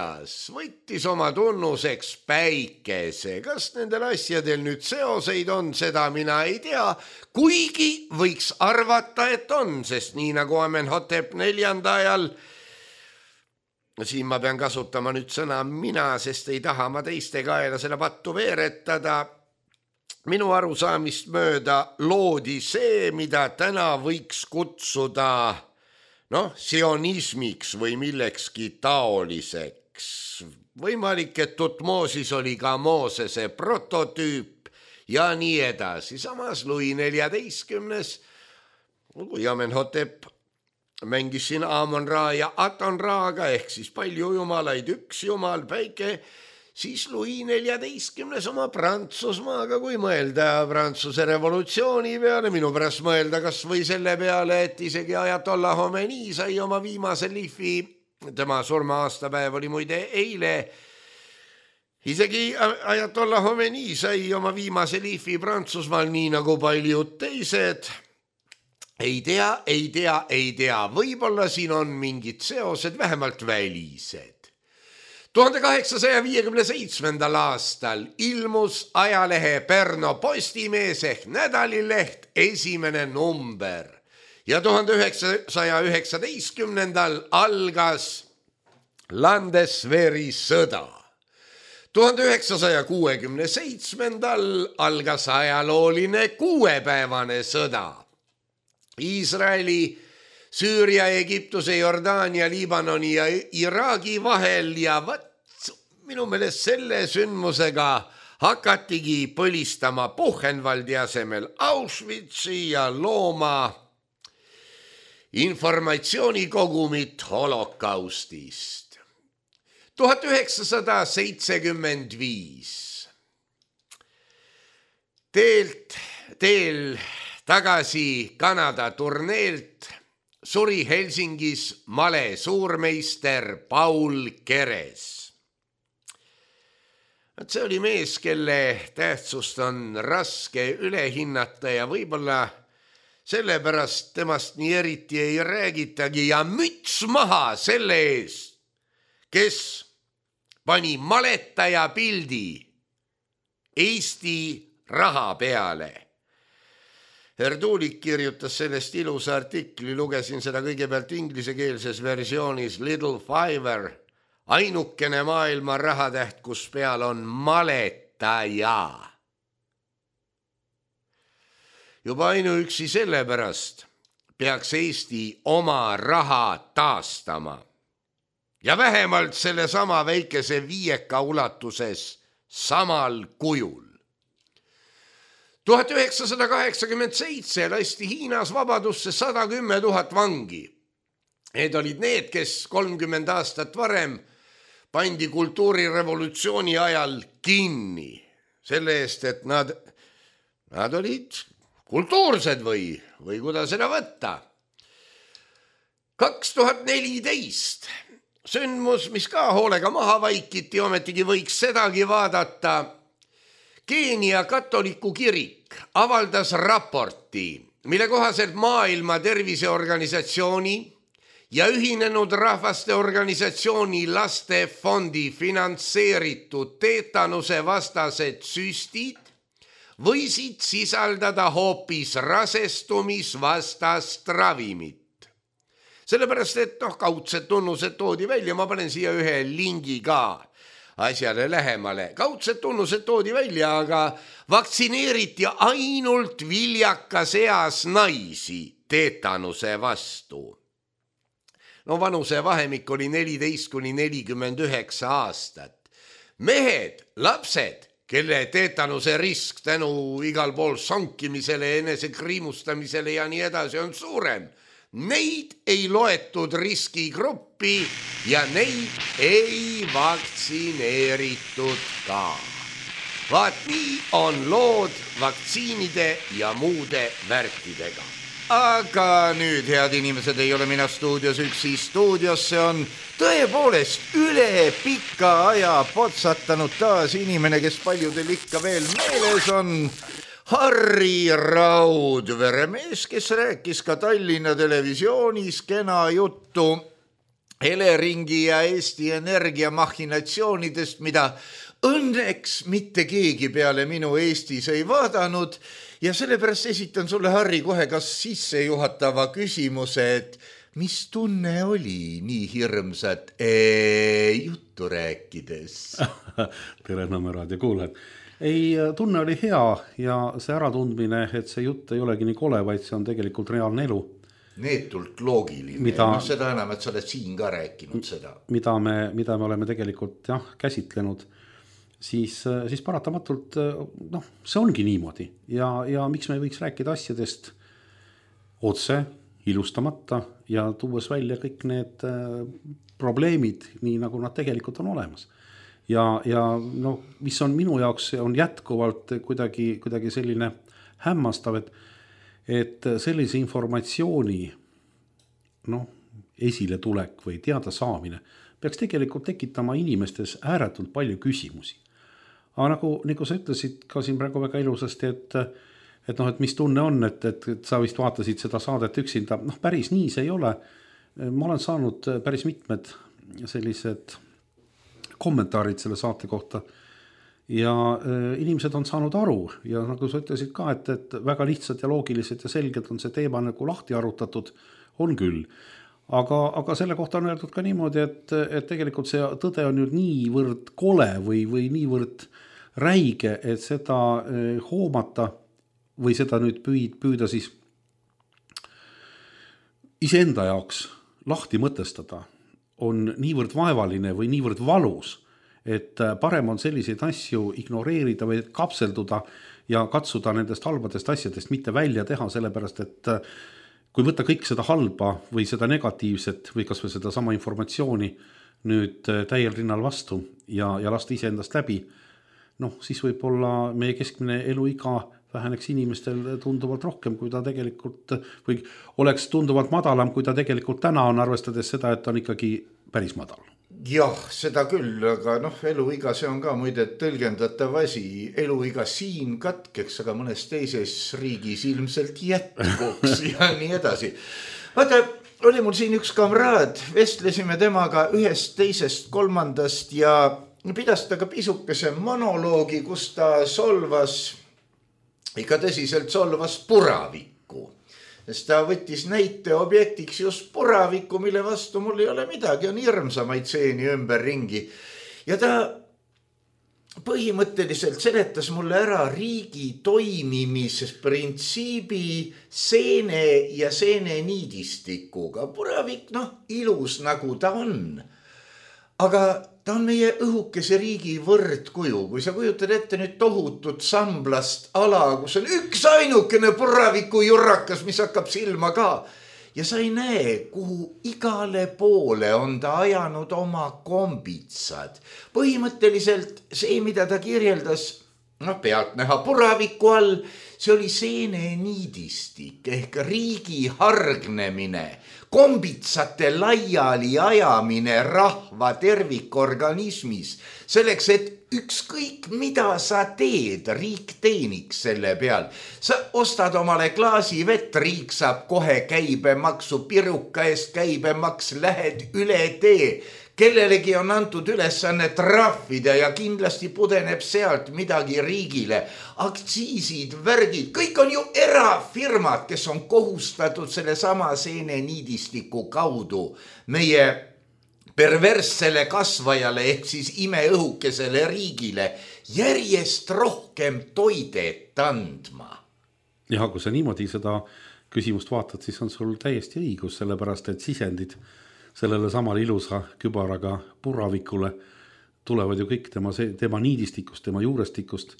Võttis oma tunnuseks päikese. Kas nendel asjadel nüüd seoseid on, seda mina ei tea, kuigi võiks arvata, et on, sest nii nagu Amenhotep IV ajal, siin ma pean kasutama nüüd sõna mina, sest ei taha ma teiste kaela seda pattu veeretada, minu arusaamist mööda loodi see, mida täna võiks kutsuda sionismiks või millekski taoliseks. Võimalik, et Tutmosis oli ka Moosese prototüüp ja nii edasi. Samas Louis XIV, kui Amenhotep mängis siin Amon-Ra ja Aton-Raaga ehk siis palju jumalaid, üks jumal, päike, siis Louis XIV oma Prantsusmaaga, kui mõelda Prantsuse revolutsiooni peale, minu pärast mõelda kas või selle peale, et isegi Ajatollah Khomeini sai oma viimase lihvi, tema surma aastapäev oli muide eile, isegi Ajatollah Khomeini sai oma viimase lihvi Prantsusmaal, nii nagu paljud teised. Ei tea, võib-olla siin on mingid seosed, vähemalt välised. 1857. aastal ilmus ajalehe Pärnu Postimees ehk nädalileht esimene number ja 1919. algas Landeswehri sõda. 1967. algas ajalooline 6-päevane sõda. Iisraeli, Süüria, Egiptuse, Jordaania, Liibanoni ja Iraagi vahel ja minu meelest selle sündmusega hakatigi põlistama Buchenwaldi asemel Auschwitzi ja looma informatsioonikogumit holokaustist. 1975 teel tagasi Kanada turneelt suri Helsingis male suurmeister Paul Keres. See oli mees, kelle tähtsust on raske üle hinnata ja võib-olla sellepärast temast nii eriti ei räägitagi ja müts maha selle eest, kes pani maletaja pildi Eesti raha peale. Herdulik kirjutas sellest ilusa artikli, lugesin seda kõigepealt inglisekeelses versioonis Little Fiver, ainukene maailma rahatäht, kus peal on maletaja. Juba ainuüksi sellepärast peaks Eesti oma raha taastama ja vähemalt selle sama väikese 5 ulatuses samal kujul. 1987 lasti Hiinas vabadusse 110 000 vangi. Need olid need, kes 30 aastat varem pandi kultuurirevolutsiooni ajal kinni selle eest, et nad olid kultuursed või kuidas seda võtta. 2014 sündmus, mis ka hoolega maha vaikiti, ometigi võiks sedagi vaadata. Keenia katoliku kirik avaldas raporti, mille kohaselt Maailma Terviseorganisatsiooni ja Ühinenud Rahvaste Organisatsiooni lastefondi finantseeritud teetanuse vastased süstid võisid sisaldada hoopis rasestumisvastast ravimit. Sellepärast, et kaudsed tunnused toodi välja, ma panen siia ühe lingi ka asjale lähemale. Kaudsed tunnused toodi välja, aga vaktsineeriti ainult viljakas eas naisi teetanuse vastu. Vanuse vahemik oli 14–49 aastat. Mehed, lapsed, kelle teetanuse risk tänu igal pool sonkimisele, enesekriimustamisele ja nii edasi on suurem, neid ei loetud riskigruppi ja neid ei vaktsineeritud ka. Vaat nii on lood vaktsiinide ja muude värkidega. Aga nüüd, head inimesed, ei ole mina stuudios üksi. Stuudiosse on tõepoolest üle pika aja potsatanud taas inimene, kes paljudel ikka veel meeles on. Harri Raudvere, mees, kes rääkis ka Tallinna Televisioonis kena juttu Eleringi ja Eesti Energia machinatsioonidest, mida õnneks mitte keegi peale minu Eestis ei vaadanud. Ja sellepärast esitan sulle, Harri, kohe kas sissejuhatava küsimuse, et mis tunne oli nii hirmsat juttu rääkides? Tere, Nõmme raadio kuulajad. Ei, tunne oli hea ja see äratundmine, et see jutt ei olegi nii kole, vaid see on tegelikult reaalne elu. Neetult loogiline. Seda enam, et sa oled siin ka rääkinud seda. Mida me oleme tegelikult käsitlenud, siis paratamatult, see ongi niimoodi. Ja miks me võiks rääkida asjadest otse, ilustamata ja tuues välja kõik need probleemid, nii nagu nad tegelikult on olemas. ja no, mis on minu jaoks on jätkuvalt kuidagi selline hämmastav, et sellise informatsiooni esile tulek või teada saamine peaks tegelikult tekitama inimestes ääretult palju küsimusi. Aga nagu sa ütlesid ka siin praegu väga ilusasti, et mis tunne on, et sa vist vaatasid seda saadet üksinda, päris nii see ei ole. Ma olen saanud päris mitmed sellised kommentaarid selle saate kohta ja inimesed on saanud aru ja nagu sa ütlesid ka, et väga lihtsad ja loogilised ja selged on see teema nagu lahti arutatud, on küll. Aga selle kohta on öeldud ka niimoodi, et tegelikult see tõde on ju niivõrd kole või niivõrd räige, et seda hoomata või seda nüüd püüda siis iseenda jaoks lahti mõtestada on niivõrd vaevaline või niivõrd valus, et parem on selliseid asju ignoreerida või kapselduda ja katsuda nendest halbadest asjadest mitte välja teha, sellepärast et kui võtta kõik seda halba või seda negatiivset või kas või seda sama informatsiooni nüüd täiel rinnal vastu ja lasta iseendast läbi, siis võib-olla meie keskmine eluiga väheneks inimestel tunduvalt rohkem, kui ta tegelikult või oleks tunduvalt madalam, kui ta tegelikult täna on, arvestades seda, et on ikkagi päris madal. Jah, seda küll, aga eluiga see on ka muide tõlgendatav asi. Eluiga siin katkeks, aga mõnes teises riigis ilmselt jätkuks ja nii edasi. Vaata, oli mul siin üks kamraad, vestlesime temaga ühest, teisest, kolmandast ja pidas ta ka pisukese monoloogi, kus ta ikka tõsiselt solvas puravikku. Sest ta võttis näite objektiks just puravikku, mille vastu mul ei ole midagi, on hirmsamaid seeni ümber ringi. Ja ta põhimõtteliselt seletas mulle ära riigi toimimises printsiibi seene ja seene niidistikuga. Puravik, ilus nagu ta on. Aga ta on meie õhukese riigi võrdkuju. Kui sa kujutad ette nüüd tohutut samblast ala, kus on üks ainukene puraviku jurrakas, mis hakkab silma ka. Ja sa ei näe, kuhu igale poole on ta ajanud oma kombitsad. Põhimõtteliselt see, mida ta kirjeldas, pealt näha puraviku all, see oli seene niidistik ehk riigi hargnemine, kombitsate laiali ajamine rahva tervikorganismis, selleks, et ükskõik mida sa teed, riik teeniks selle peal. Sa ostad omale klaasi vett, riik saab kohe käibemaksu, piruka eest käibemaks, lähed üle tee. Kellelegi on antud ülesanne trahvida ja kindlasti pudeneb sealt midagi riigile. Aktsiisid, värgid, kõik on ju erafirmad, kes on kohustatud selle sama seene niidistiku kaudu meie perverssele kasvajale ehk siis imeõhukesele riigile järjest rohkem toidet andma. Ja kui sa niimoodi seda küsimust vaatad, siis on sul täiesti õigus, sellepärast et sisendid sellele samale ilusa kübaraga puravikule tulevad ju kõik tema niidistikust, tema juurestikust.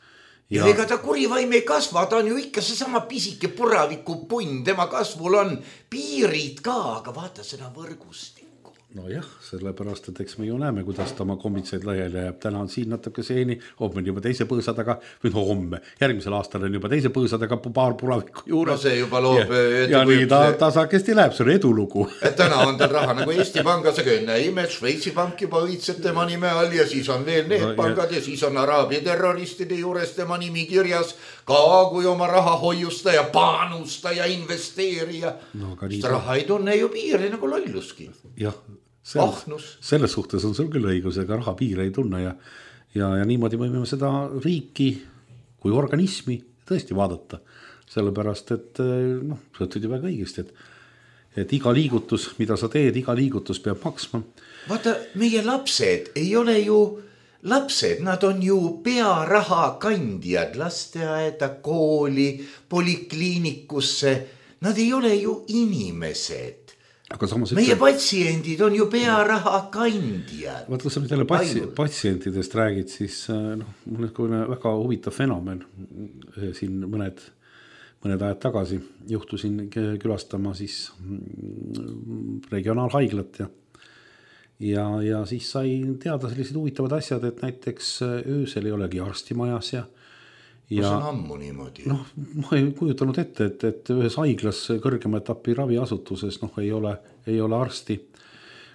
Ja ega ta kurivaim ei kasva, ta on ju ikka see sama pisike puraviku punn, tema kasvul on piirid ka, aga vaata seda võrgustikku. Jah, sellepärast, et eks me ju näeme, kuidas ta oma kombitseid laiali jääb. Täna on siin natuke seeni, homme on juba teise põõsadaga, või homme, järgmisel aastal on juba teise põõsadaga paar puraviku juures. See juba loob. Ja nii ta saakesti läheb, see on edulugu. Täna on tal raha nagu Eesti Pangas, aga enne imed, Šveitsi pank juba õitseb tema nime all ja siis on veel need pangad ja siis on araabia terroristide juures tema nimi kirjas ka kui oma raha hoiustaja, panustaja, investeerija. Raha ei tunne ju piiri nagu lolluski. Jah. Selles suhtes on sul küll õigus, ega raha piire ei tunne ja niimoodi võime seda riiki kui organismi tõesti vaadata. Sellepärast, et sa ütled ju väga õigesti, et iga liigutus, mida sa teed, iga liigutus peab maksma. Vaata, meie lapsed ei ole ju lapsed, nad on ju pearaha kandjad lasteaeda, kooli, polikliinikusse. Nad ei ole ju inimesed. Meie patsiendid on ju pearaha kandjad. Vaata, kui sa nüüd jälle patsientidest räägid, siis mul on väga huvitav fenomen. Siin mõned ajad tagasi juhtusin külastama siis regionaalhaiglat ja siis sai teada sellised huvitavad asjad, et näiteks öösel ei olegi arstimajas ja see on ammu niimoodi. Noh, ma ei kujutanud ette, et ühes haiglas kõrgema etapi raviasutuses ei ole arsti.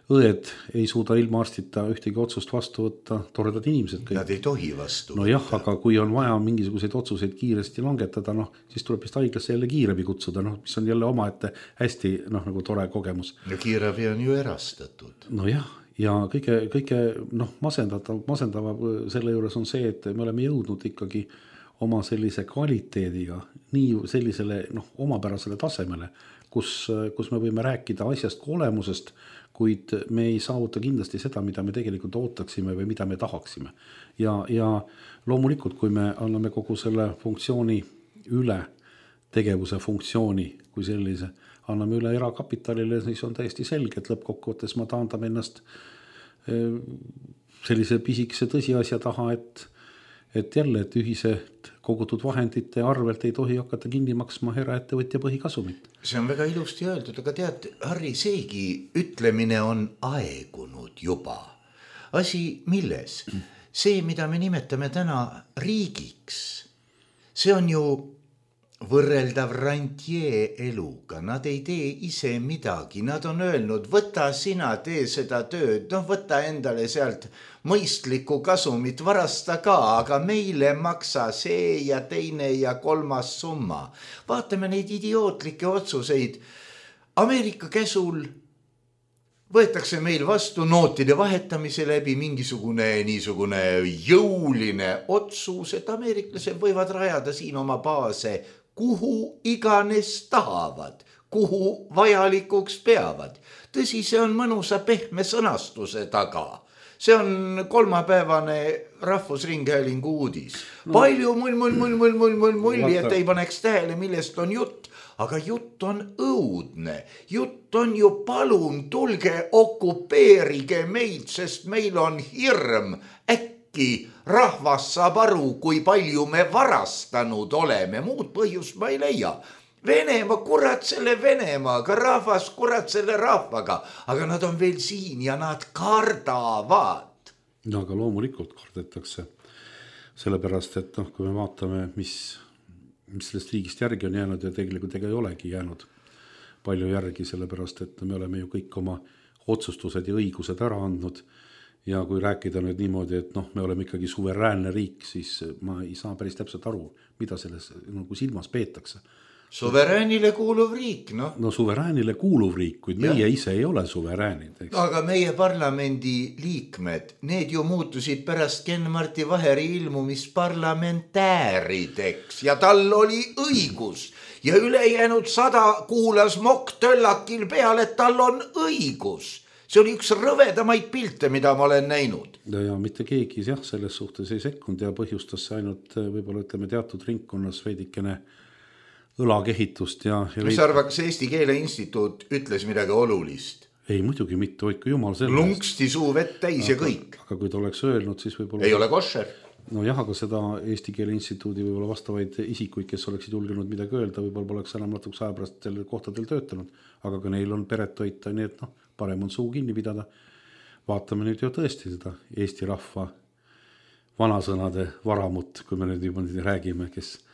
Õed ei suuda ilma arstita ühtegi otsust vastu võtta, toredad inimesed kõik. Nad ei tohi vastu võtta. No jah, aga kui on vaja mingisuguseid otsuseid kiiresti langetada, siis tuleb vist haiglasse jälle kiirabi kutsuda, mis on jälle omaette hästi nagu tore kogemus. Ja kiirabi on ju erastatud. No jah, ja kõige masendava selle juures on see, et me oleme jõudnud ikkagi oma sellise kvaliteediga nii sellisele omapärasele tasemele, kus me võime rääkida asjast kui olemusest, kuid me ei saavuta kindlasti seda, mida me tegelikult ootaksime või mida me tahaksime. Ja loomulikult, kui me anname kogu selle funktsiooni üle, tegevuse funktsiooni kui sellise, anname üle erakapitalile, siis on täiesti selge, et lõppkokkuvõttes ma taandame ennast sellise pisikese tõsiasja taha, et jälle, et ühiselt kogutud vahendite arvelt ei tohi hakata kinni maksma eraettevõtja põhikasumit. See on väga ilusti öeldud, aga tead, Harri, seegi ütlemine on aegunud juba. Asi milles? See, mida me nimetame täna riigiks, see on ju võrreldav rantjee eluga. Nad ei tee ise midagi. Nad on öelnud, võta sina, tee seda tööd, võta endale sealt mõistlikku kasumit, varasta ka, aga meile maksa see ja teine ja kolmas summa. Vaatame neid idiootlikke otsuseid. Ameerika käsul võetakse meil vastu nootide vahetamise läbi niisugune jõuline otsus, et ameeriklased võivad rajada siin oma baase kuhu iganes tahavad, kuhu vajalikuks peavad. Tõsi, see on mõnusa pehme sõnastuse taga. See on kolmapäevane Rahvusringhäälingu uudis. Palju mull, et ei paneks tähele, millest on jutt. Aga jutt on õudne. Jutt on ju palun, tulge okupeerige meid, sest meil on hirm. Äkki rahvas saab aru, kui palju me varastanud oleme. Muud põhjust ma ei leia. Venemaa, kurat selle Venemaaga, rahvas, kurat selle rahvaga. Aga nad on veel siin ja nad kardavad. No aga loomulikult kardetakse. Sellepärast, et kui me vaatame, mis sellest riigist järgi on jäänud ja tegelikult ega ei olegi jäänud palju järgi, sellepärast, et me oleme ju kõik oma otsustused ja õigused ära andnud. Ja kui rääkida nüüd niimoodi, et me oleme ikkagi suveräänne riik, siis ma ei saa päris täpselt aru, mida selles silmas peetakse. Suveräänile kuuluv riik, No suveräänile kuuluv riik, kuid meie ise ei ole suveräänid. Eks? Aga meie parlamendi liikmed, need ju muutusid pärast Ken-Marti Vaheri ilmumist parlamentäärideks ja tal oli õigus. Ja ülejäänud 100 kuulas Mokk-Töllakil peale, et tal on õigus. See oli üks rõvedamaid pilte, mida ma olen näinud. Ja mitte keegi selles suhtes ei sekkunud ja põhjustas ainult võib-olla teatud ringkonnas veidikene õlakehitust Mis arvab, kas Eesti Keele Instituut ütles midagi olulist? Ei, muidugi mitte, hoidku jumal sellest. Lungsti suu vett täis ja kõik. Aga kui ta oleks öelnud, siis võib-olla... Ei ole košer. No jah, aga seda Eesti Keele Instituudi võib-olla vastavaid isikuid, kes oleksid julgenud midagi öelda, võib-olla poleks enam natuks aja pärast sellel kohtadel töötanud. Aga kui neil on peret toita, nii et parem on suu kinni pidada. Vaatame nüüd ju tõesti seda Eesti rahva vanasõnade varamut, kui me nüüd juba räägime, kes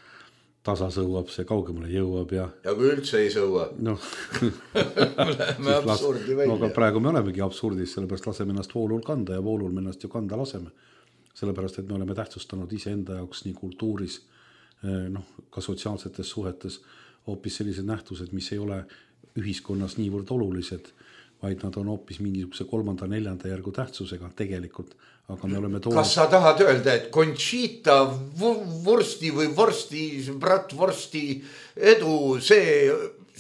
tasa sõuab, see kaugemale jõuab ja kui üldse ei sõua. Me absurdi välja. Aga praegu me olemegi absurdis, sellepärast laseme ennast voolul kanda ja voolul me ennast ju kanda laseme. Sellepärast, et me oleme tähtsustanud iseenda jaoks nii kultuuris, ka sotsiaalsetes suhetes hoopis sellised nähtused, mis ei ole ühiskonnas niivõrd olulised, vaid nad on hoopis mingisuguse 3., 4. järgu tähtsusega tegelikult. Aga me oleme Kas sa tahad öelda, et Conchita vorsti või bratvorsti edu, see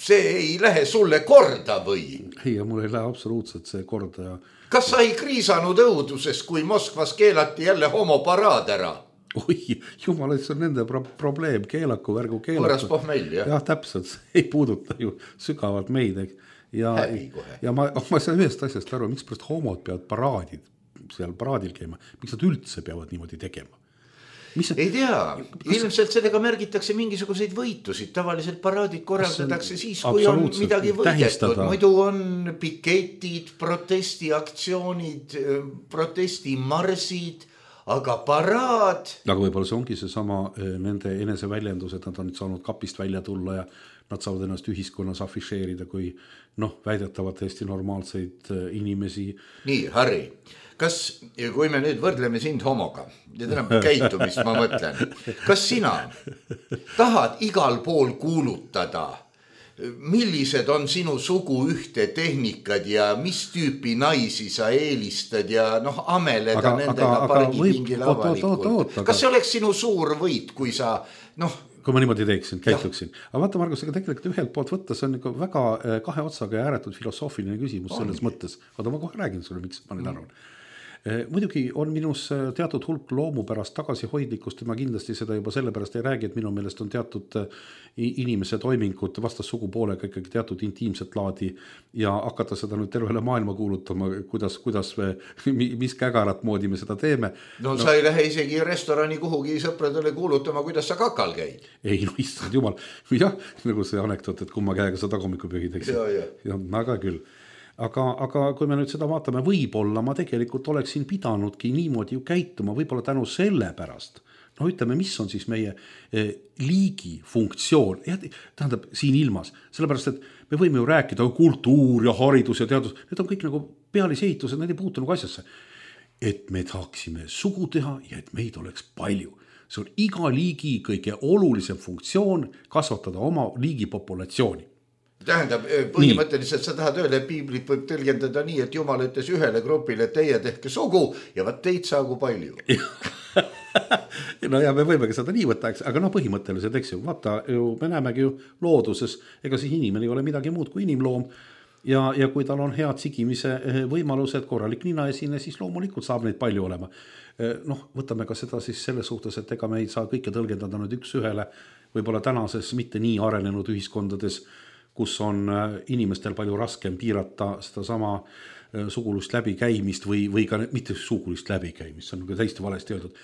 ei lähe sulle korda või? Ei, mul ei lähe absoluutselt see korda. Kas sa ei kriisanud õudusest, kui Moskvas keelati jälle homoparaad ära? Oi, jumal, see on nende probleem, keelaku, värgu keelaku. Võras pohmell, jah? Jah, täpselt, ei puuduta ju sügavalt meid. Ja ma saan ühest asjast aru, miks pärast homod peavad seal paraadil käima, miks nad üldse peavad niimoodi tegema? ei tea, ilmselt sellega märgitakse mingisuguseid võitusid, tavaliselt paraadid korraldatakse siis, kui on midagi võidetud, muidu on piketid, protestiaktsioonid, protestimarsid, aga paraad. Aga võib-olla see ongi seesama nende eneseväljendus, et nad on nüüd saanud kapist välja tulla ja nad saavad ennast ühiskonnas afišeerida kui väidetavad täiesti normaalseid inimesi. Nii, Harri, kas, kui me nüüd võrdleme sind homoga ja täna käitumist ma mõtlen, kas sina tahad igal pool kuulutada, millised on sinu sugu ühtetehnikad ja mis tüüpi naisi sa eelistad ja ameleda nendega pargipingile avalikult. Kas see oleks sinu suur võit, kui sa kui ma niimoodi teeksin, käituksin. Aga vaata, Margus, ega tegelikult ühelt poolt võtta, see on ikka väga kahe otsaga ja ääretult filosoofiline küsimus selles mõttes. Vaata, ma kohe räägin sulle, miks ma nüüd arvan. Muidugi on minus teatud hulk loomupärast tagasihoidlikkust ja ma kindlasti seda juba sellepärast ei räägi, et minu meelest on teatud inimese toimingud vastassugupoolega ikkagi teatud intiimset laadi ja hakata seda nüüd tervele maailma kuulutama, kuidas mis kägarat moodi me seda teeme. Sa ei lähe isegi restorani kuhugi sõpradele kuulutama, kuidas sa kakal käid. Ei, issand jumal. Jah, nagu see anekdoot, et kumma käega sa tagumikku pühid, eks. Ja, aga küll. Aga kui me nüüd seda vaatame, võib-olla ma tegelikult oleksin pidanudki niimoodi ju käituma, võib-olla tänu selle pärast. Ütleme, mis on siis meie liigi funktsioon, tähendab siin ilmas, sellepärast, et me võime ju rääkida kultuur ja haridus ja teadus, need on kõik nagu pealisehitused, need ei puutu nagu asjasse. Et me tahaksime sugu teha ja et meid oleks palju. See on iga liigi kõige olulisem funktsioon kasvatada oma liigi populatsiooni. Tähendab, põhimõtteliselt sa tahad öelda, et piiblit võib tõlgendada nii, et Jumal ütles ühele grupile, et teie tehke sugu ja vaat teid saagu palju. No ja me võime ka seda nii võtta, aga põhimõtteliselt, eks ju, vaata, me näemegi ju looduses, ega siis inimene ei ole midagi muud kui inimloom ja kui tal on head sigimise võimalused, korralik ninaesine, siis loomulikult saab neid palju olema. Võtame ka seda siis selles suhtes, et ega me ei saa kõike tõlgendada nüüd üks ühele, võib-olla tänases mitte nii arenenud ühiskondades, kus on inimestel palju raskem piirata seda sama sugulust läbikäimist või ka mitte sugulist läbikäimist, see on nagu täiesti valesti öeldud,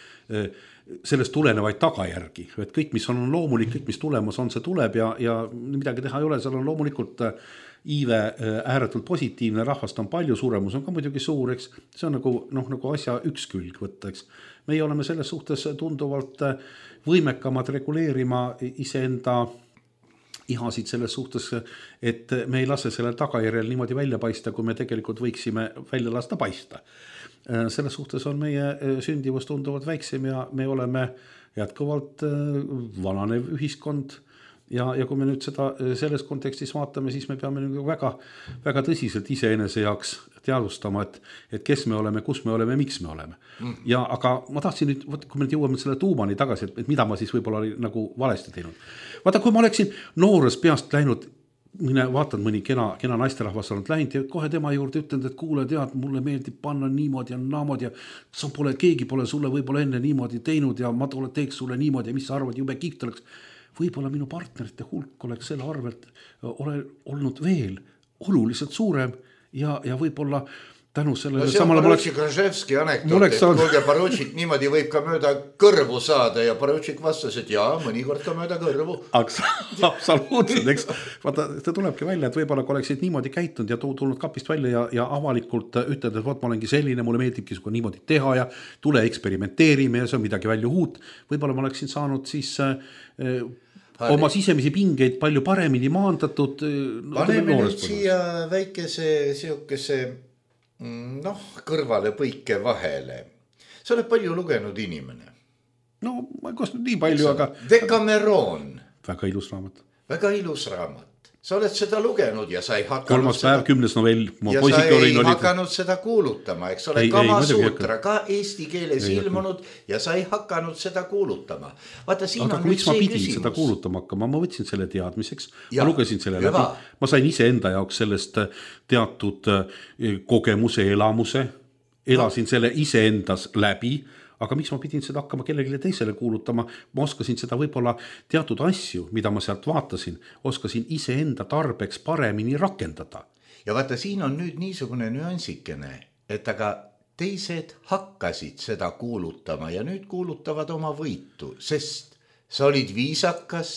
sellest tulenevaid tagajärgi, et kõik, mis on loomulik, kõik, mis tulemas on, see tuleb ja midagi teha ei ole, seal on loomulikult iive ääretult positiivne, rahvast on palju, suremus on ka muidugi suur, eks, see on nagu asja üks külg võtta, eks. Meie oleme selles suhtes tunduvalt võimekamad reguleerima iseenda ihasid selles suhtes, et me ei lase sellel tagajärjel niimoodi välja paista, kui me tegelikult võiksime välja lasta paista. Selles suhtes on meie sündivus tunduvalt väiksem ja me oleme jätkuvalt vananev ühiskond ja kui me nüüd seda selles kontekstis vaatame, siis me peame väga, väga tõsiselt iseenese jaoks teadvustama, et kes me oleme, kus me oleme, miks me oleme. Ja aga ma tahtsin nüüd, kui me nüüd jõuame selle tuumani tagasi, et mida ma siis võib-olla oli nagu valesti teinud. Vaata, kui ma oleksin noores peast läinud, vaatan mõni kena naisterahvas olnud läinud ja kohe tema juurde ütlenud, et kuule, tead, mulle meeldib panna niimoodi ja naamoodi ja keegi pole sulle võib-olla enne niimoodi teinud ja ma teeks sulle niimoodi ja mis sa arvad, jube kiht oleks. Võib-olla minu partnerite hulk oleks selle arvelt olnud veel oluliselt suurem ja võib-olla tänu sellele see on Porotšik Raževski anekdoot, et kuulge, Porotšik niimoodi võib ka mööda kõrvu saada ja Porotšik vastas, et jaa, mõnikord ka mööda kõrvu. Absoluutselt, eks. Vaata, see tulebki välja, et võib-olla kui oleksid niimoodi käitunud ja tulnud kapist välja ja avalikult ütled, et ma olengi selline, mulle meeldibki suga niimoodi teha ja tule eksperimenteerime ja see on midagi välja uut. Võib-olla ma oleksin saanud siis oma sisemisi pingeid palju paremini maandatud. Paneme nüüd siia väikese siukese kõrvale põike vahele. Sa oled palju lugenud inimene. No, ma ei kostnud nii palju, aga... Decameron. Väga ilus raamat. Väga ilus raamat. Sa oled seda lugenud ja sa ei hakanud... Kolmas päev, 10. novell. Ja sa ei hakanud seda kuulutama, eks ole, Kama Sutra ka eesti keeles ilmunud ja sa ei hakanud seda kuulutama. Vaata, siin aga on nüüd see küsimus. Aga miks ma pidin seda kuulutama hakkama? Ma võtsin selle teadmiseks, ma lugesin selle läbi. Ma sain ise enda jaoks sellest teatud kogemuse, elamuse, elasin selle ise endas läbi, aga miks ma pidin seda hakkama kellelegi teisele kuulutama, ma oskasin seda võib-olla teatud asju, mida ma sealt vaatasin, oskasin iseenda tarbeks paremini rakendada. Ja vaata, siin on nüüd niisugune nüansikene, et aga teised hakkasid seda kuulutama ja nüüd kuulutavad oma võitu, sest sa olid viisakas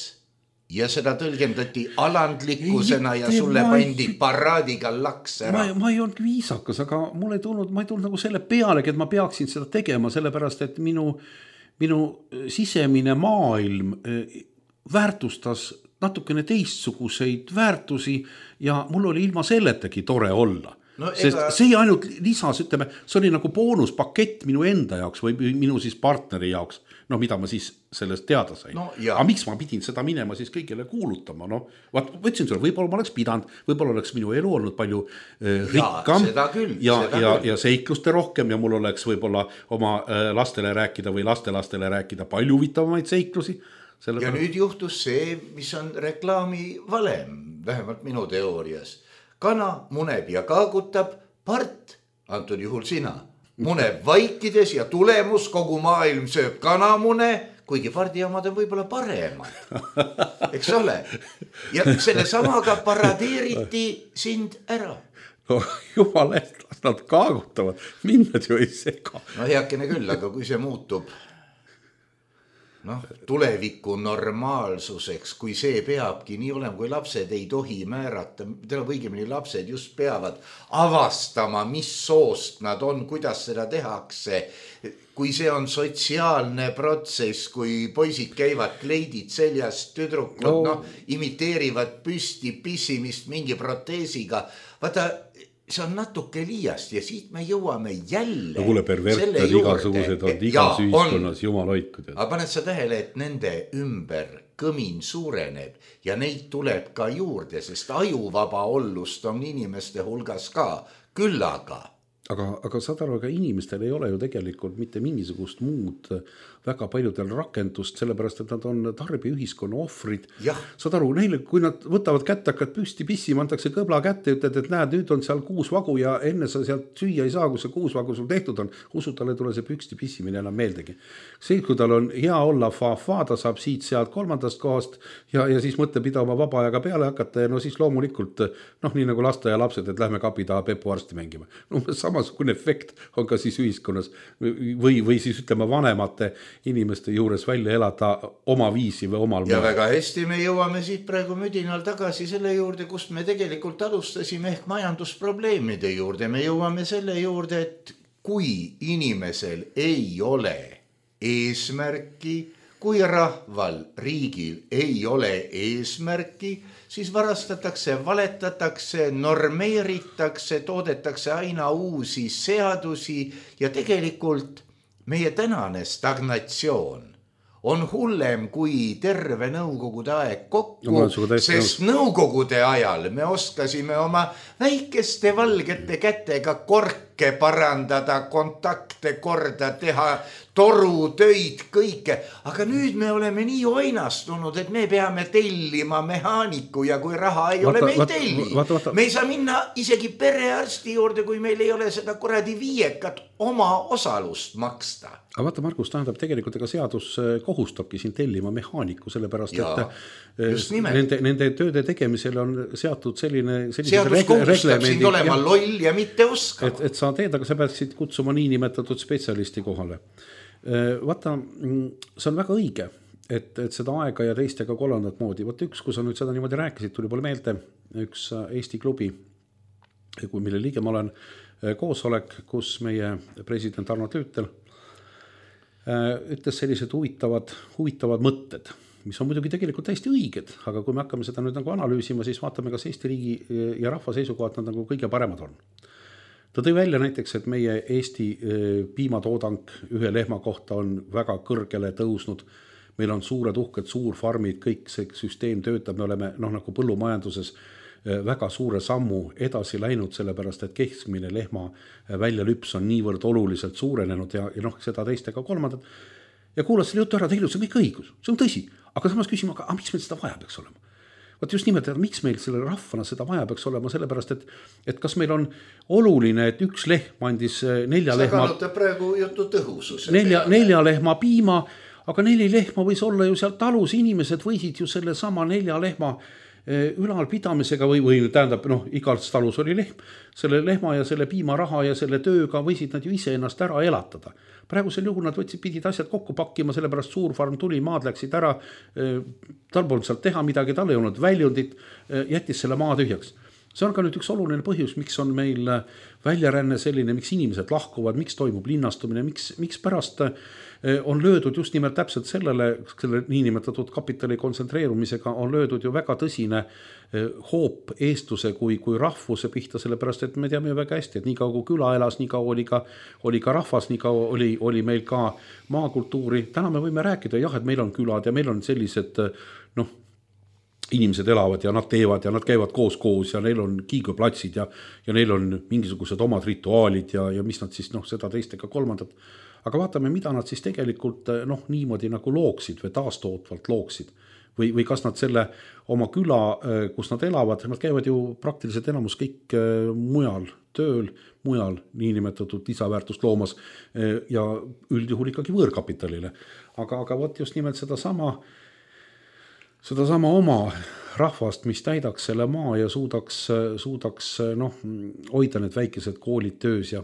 ja seda tõlgendati alandlikkusena ja sulle pandi paraadiga laks ära. Ma ei olnud viisakas, aga ma ei tulnud nagu selle pealegi, et ma peaksin seda tegema, sellepärast, et minu sisemine maailm väärtustas natukene teistsuguseid väärtusi ja mul oli ilma selletagi tore olla. No, sest see ainult lisas, ütleme, see oli nagu boonuspakett minu enda jaoks või minu siis partneri jaoks, no mida ma siis sellest teada sain. No, aga miks ma pidin seda minema siis kõigile kuulutama? No, võtsin sulle, võib-olla ma oleks pidanud, võib-olla oleks minu elu olnud palju rikkam ja seikluste rohkem ja mul oleks võib-olla oma lastele rääkida või lastelastele rääkida palju huvitavamaid seiklusi. Ja nüüd juhtus see, mis on reklaami valem, vähemalt minu teoorias. Kana muneb ja kaagutab, part, antud juhul sina, muneb vaikides ja tulemus kogu maailm sööb kanamune, kuigi pardi omad on võib-olla paremad. Eks ole? Ja selle samaga paradeeriti sind ära. No jumal eest, las nad kaagutavad, minnad ju ei sega. No heakene küll, aga kui see muutub tuleviku normaalsuseks, kui see peabki nii olema, kui lapsed ei tohi määrata, õigemini lapsed just peavad avastama, mis soost nad on, kuidas seda tehakse, kui see on sotsiaalne protsess, kui poisid käivad kleidid seljas, tüdrukud imiteerivad püsti pissimist mingi proteesiga, vaata, see on natuke liiast ja siit me jõuame jälle. No kuule, perverted igasugused on igas ühiskonnas jumal hoidkud. Aga paned sa tähele, et nende ümber kõmin suureneb ja neid tuleb ka juurde, sest ajuvaba ollust on inimeste hulgas ka, küll aga. Aga saad aru, aga inimestel ei ole ju tegelikult mitte mingisugust muud väga paljudel rakendust, sellepärast, et nad on tarbiühiskonna ohvrid. Saad aru, neile, kui nad võtavad kätte, hakkad püsti pissima, antakse kõbla kätte, ütled, et näed, nüüd on seal 6 vagu ja enne sa sealt süüa ei saa, kui see 6 vagu sul tehtud on, usu talle tule see püksti pissimine enam meeldegi. See, kui tal on hea olla fa-fa, ta saab siit sealt 3. kohast ja siis mõtleb ida oma vaba ajaga peale hakata ja siis loomulikult, nii nagu laste ja lapsed, et lähme kapi taha Pepu arsti mängima. Samasugune efekt on ka siis ühiskonnas või siis ütleme vanemate inimeste juures välja elada oma viisi või omal ja väga hästi me jõuame siit praegu müdinal tagasi selle juurde, kust me tegelikult alustasime ehk majandusprobleemide juurde. Me jõuame selle juurde, et kui inimesel ei ole eesmärki, kui rahval, riigil ei ole eesmärki, siis varastatakse, valetatakse, normeeritakse, toodetakse aina uusi seadusi ja tegelikult meie tänane stagnatsioon on hullem kui terve nõukogude aeg kokku, sest nõukogude ajal me oskasime oma väikeste valgete kätega korke parandada, kontakte korda teha, torutöid, kõike. Aga nüüd me oleme nii oinastunud, et me peame tellima mehaaniku ja kui raha ei ole, me ei telli. Me ei saa minna isegi perearsti juurde, kui meil ei ole seda kuradi 5 oma osalust maksta. Aga vaata, Margus, tähendab tegelikult, ega seadus kohustabki siin tellima mehaaniku, sellepärast, et nende tööde tegemisel on seatud selline seadus kohustab sind olema loll ja mitte oskama. Et sa teed, aga sa peaksid kutsuma nii nimetatud spetsialisti kohale. Vaata, see on väga õige, et seda aega ja teist ega kolmandat moodi. Vaata üks, kui sa nüüd seda niimoodi rääkisid, tuli poole meelde üks Eesti klubi, mille liige ma olen, koosolek, kus meie president Arno Tüütel ütles sellised huvitavad mõtted, mis on muidugi tegelikult täiesti õiged, aga kui me hakkame seda nüüd nagu analüüsima, siis vaatame, kas Eesti riigi ja rahva seisukohad nad nagu kõige paremad on. Ta tõi välja näiteks, et meie Eesti piimatoodang 1 lehma kohta on väga kõrgele tõusnud. Meil on suured uhked suurfarmid, kõik see süsteem töötab, me oleme nagu põllumajanduses väga suure sammu edasi läinud, sellepärast, et keskmine lehma väljalüps on niivõrd oluliselt suurenenud ja seda teist ega kolmandat. Ja kuulas selle jutu ära, tegelikult see on kõik õigus, see on tõsi, aga samas küsima, aga miks meil seda vaja peaks olema? Vaat just nimelt, miks meil selle rahvana seda vaja peaks olema, sellepärast, et kas meil on oluline, et 1 lehm andis 4 lehma... Sa kannutab praegu jutu tõhususe. 4 lehma piima, aga 4 lehma võis olla ju seal talus, inimesed võisid ju selle sama 4 lehma ülalpidamisega või tähendab, igalt talus oli lehm, selle lehma ja selle piimaraha ja selle tööga võisid nad ju ise ennast ära elatada. Praegusel juhul nad pidid asjad kokku pakkima, sellepärast suurfarm tuli, maad läksid ära, tal polnud sealt teha midagi, tal ei olnud väljundit, jättis selle maa tühjaks. See on ka nüüd üks oluline põhjus, miks on meil väljaränne selline, miks inimesed lahkuvad, miks toimub linnastumine, miks pärast on löödud just nimelt täpselt selle niinimetatud kapitali kontsentreerumisega on löödud ju väga tõsine hoop eestluse kui rahvuse pihta, sellepärast et me teame ju väga hästi, et nii kaua kui küla elas, nii kaua oli ka rahvas, nii kaua oli meil ka maakultuuri. Täna me võime rääkida, jah, et meil on külad ja meil on sellised, inimesed elavad ja nad teevad ja nad käivad koos ja neil on kiiguplatsid ja neil on mingisugused omad rituaalid ja mis nad siis seda teist ega kolmandat. Aga vaatame, mida nad siis tegelikult niimoodi nagu looksid või taastootvalt looksid. Või kas nad selle oma küla, kus nad elavad, nad käivad ju praktiliselt enamus kõik mujal tööl, mujal niinimetatud lisaväärtust loomas ja üldjuhul ikkagi võõrkapitalile. Aga võt just nimelt sedasama oma rahvast, mis täidaks selle maa ja suudaks hoida need väikesed koolid töös ja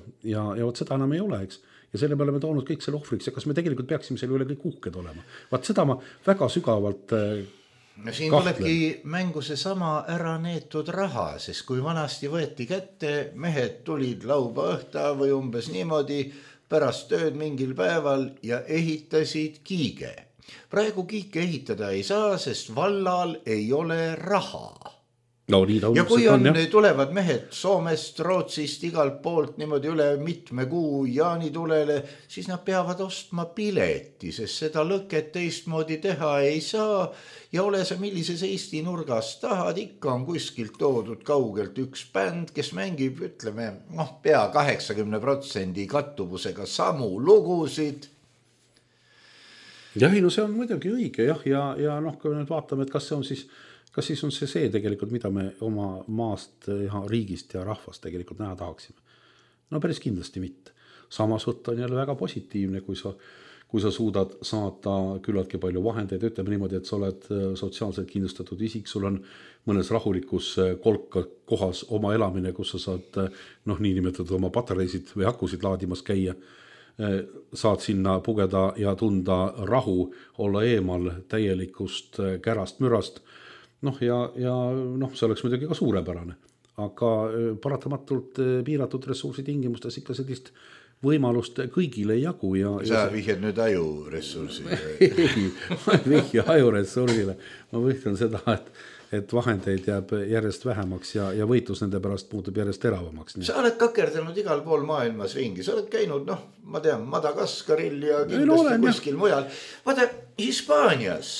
võt seda enam ei ole, eks. Ja selle peale me toonud kõik selle ohvriks ja kas me tegelikult peaksime selle üle kõik uhked olema. Vaat seda ma väga sügavalt siin tulebki mängu seesama ära neetud raha, sest kui vanasti võeti kätte, mehed tulid lauba õhta või umbes niimoodi pärast tööd mingil päeval ja ehitasid kiige. Praegu kiike ehitada ei saa, sest vallal ei ole raha. Ja kui tulevad mehed Soomest, Rootsist, igalt poolt niimoodi üle mitme kuu jaanitulele, siis nad peavad ostma pileti, sest seda lõket teistmoodi teha ei saa. Ja ole sa millises Eesti nurgas tahad, ikka on kuskilt toodud kaugelt üks bänd, kes mängib, ütleme, pea 80% kattuvusega samu lugusid. Jah, see on muidugi õige ja kui nüüd vaatame, et kas siis on see tegelikult, mida me oma maast ja riigist ja rahvast tegelikult näha tahaksime. Päris kindlasti mitte. Samas võtta on jälle väga positiivne, kui sa suudad saada küllaltki palju vahendeid, ütleme niimoodi, et sa oled sotsiaalselt kindlustatud isik, sul on mõnes rahulikus kohas oma elamine, kus sa saad niinimetatud oma patareisid või akusid laadimas käia, saad sinna pugeda ja tunda rahu, olla eemal täielikust kärast mürast. Ja see oleks muidugi ka suurepärane, aga paratamatult piiratud ressursi tingimustes ikka sellist võimalust kõigile ei jagu. Sa vihjad nüüd ajuressursi? Ei, ma ei vihja ajuressursile. Ma vihjan seda, et vahendeid jääb järjest vähemaks ja võitlus nende pärast muutub järjest teravamaks. Sa oled kakerdanud igal pool maailmas ringi, sa oled käinud, ma tean, Madagaskaril ja kindlasti kuskil mujal. Vaata, Hispaanias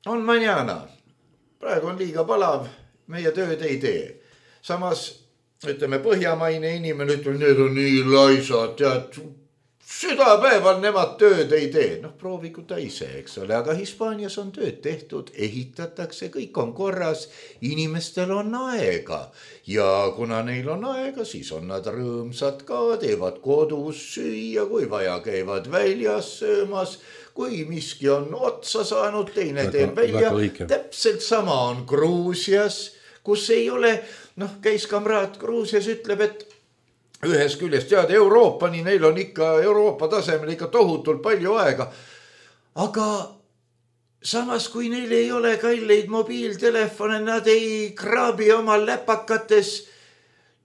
on mañana. Praegu on liiga palav, meie tööd ei tee. Samas, ütleme, põhjamaine inimene, ütleme, need on nii laisad, tead, südapäeval nemad tööd ei tee. Proovigu ta ise, eks ole, aga Hispaanias on tööd tehtud, ehitatakse, kõik on korras, inimestel on aega. Ja kuna neil on aega, siis on nad rõõmsad ka, teevad kodus süüa, kui vaja käivad väljas söömas, kui miski on otsa saanud, teine teeb välja. Täpselt sama on Gruusias, kus ei ole, käis kamraad Gruusias, ütleb, et ühes küljest tead Euroopani, neil on ikka Euroopa tasemel ikka tohutult palju aega. Aga samas, kui neil ei ole kalleid mobiiltelefone, nad ei kraabi oma läpakates,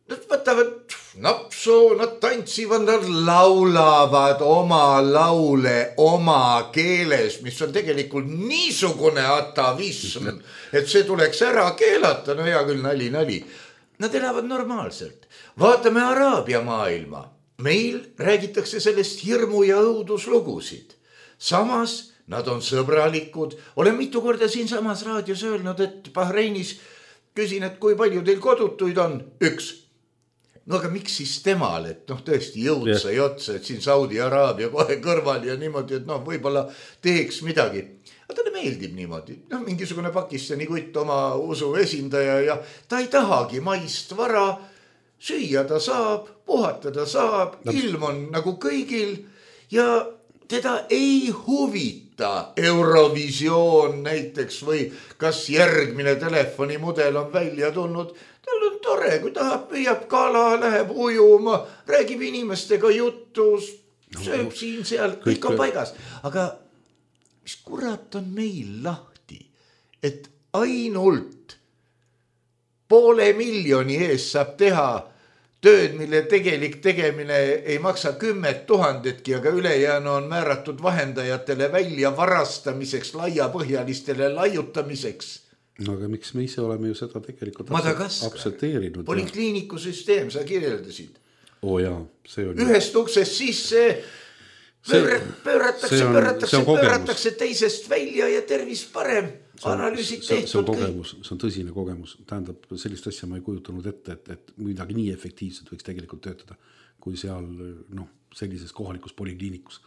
nad võtavad napsu, nad tantsivad, nad laulavad oma laule oma keeles, mis on tegelikult niisugune atavism, et see tuleks ära keelata, hea küll, nali. Nad elavad normaalselt. Vaatame Araabia maailma. Meil räägitakse sellest hirmu ja õuduslugusid. Samas nad on sõbralikud. Olen mitu korda siin samas raadios öelnud, et Bahreinis küsin, et kui palju teil kodutuid on? Üks. Aga miks siis temal, et tõesti jõudsa ja otsa, et siin Saudi Araabia kohe kõrval ja niimoodi, et võibolla teeks midagi. Aga talle meeldib niimoodi. Mingisugune Pakistani kutt oma usu esindaja ja ta ei tahagi maist vara, süüa ta saab, puhata ta saab, ilm on nagu kõigil ja teda ei huvita Eurovisioon näiteks või kas järgmine telefonimudel on välja tulnud. Tal on tore, kui tahab, püüab kala, läheb ujuma, räägib inimestega juttu, sööb siin-seal, kõik on paigas. Aga mis kurat on meil lahti, et ainult 500,000 eest saab teha tööd, mille tegelik tegemine ei maksa 10 000-tki, aga ülejäänu on määratud vahendajatele välja varastamiseks, laiapõhjalistele laiutamiseks. No aga miks me ise oleme ju seda tegelikult aktsepteerinud. Polikliinikusüsteem, sa kirjeldasid. Jaa, see on... Ühest uksest sisse pööratakse teisest välja ja tervis parem. Analüüsid tehtud kõik. See on tõsine kogemus. Tähendab, sellist asja ma ei kujutanud ette, et midagi nii efektiivselt võiks tegelikult töötada, kui seal sellises kohalikus polikliinikus.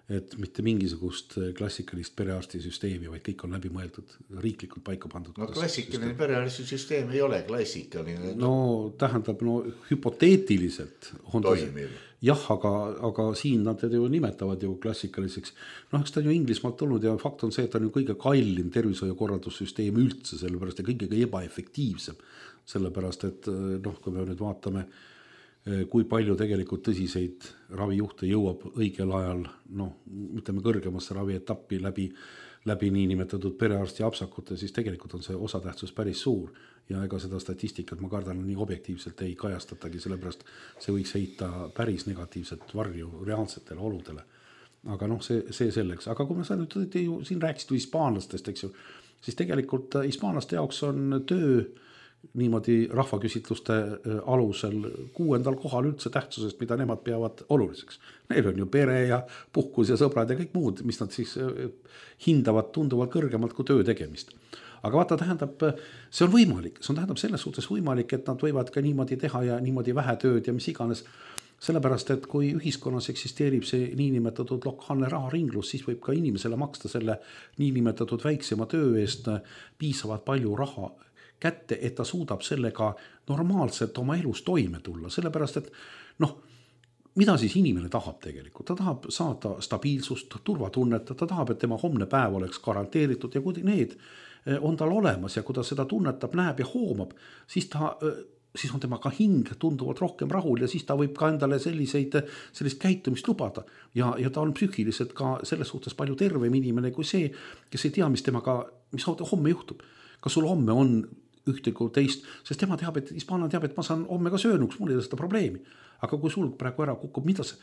Et mitte mingisugust klassikalist perearstisüsteemi, vaid kõik on läbi mõeldud, riiklikult paika pandud. No klassikaline perearstisüsteem ei ole klassikaline. No tähendab, hüpoteetiliselt on toimiv. Jah, aga siin nad ju nimetavad ju klassikaliseks. Eks ta on ju Inglismaalt tulnud ja fakt on see, et ta on ju kõige kallim tervishoiukorraldussüsteem üldse, sellepärast ja kõige ebaefektiivsem. Sellepärast, et kui me nüüd vaatame, kui palju tegelikult tõsiseid ravijuhte jõuab õigel ajal, ütleme kõrgemasse ravietappi läbi niinimetatud perearsti apsakute, siis tegelikult on see osatähtsus päris suur ja ega seda statistikat ma kardan nii objektiivselt ei kajastatagi, sellepärast see võiks heita päris negatiivset varju reaalsetele oludele. Aga see selleks. Aga kui me siin rääkisid hispaanlastest, eks ju, siis tegelikult hispaanlaste jaoks on töö niimoodi rahvaküsitluste alusel 6. kohal üldse tähtsusest, mida nemad peavad oluliseks. Neil on ju pere ja puhkus ja sõbrad ja kõik muud, mis nad siis hindavad tunduvalt kõrgemalt kui töö tegemist. Aga vaata, tähendab, see on võimalik. See on tähendab selles suhtes võimalik, et nad võivad ka niimoodi teha ja niimoodi vähe tööd ja mis iganes. Sellepärast, et kui ühiskonnas eksisteerib see niinimetatud lokaalne raharinglus, siis võib ka inimesele maksta selle niinimetatud väiksema töö eest piisavalt palju raha kätte, et ta suudab sellega normaalselt oma elus toime tulla. Sellepärast, et mida siis inimene tahab tegelikult? Ta tahab saada stabiilsust, turvatunnet, ta tahab, et tema homne päev oleks garanteeritud ja kui need on tal olemas ja kui ta seda tunnetab, näeb ja hoomab, siis on tema ka hing tunduvalt rohkem rahul ja siis ta võib ka endale sellist käitumist lubada. Ja ta on psüühiliselt ka selles suhtes palju tervem inimene kui see, kes ei tea, mis homme juhtub. Kas sul homme on ühte kui teist, sest tema teab, et hispaanlane teab, et ma saan homme ka söönuks, mul ei ole seda probleemi. Aga kui sul praegu ära kukub, mida see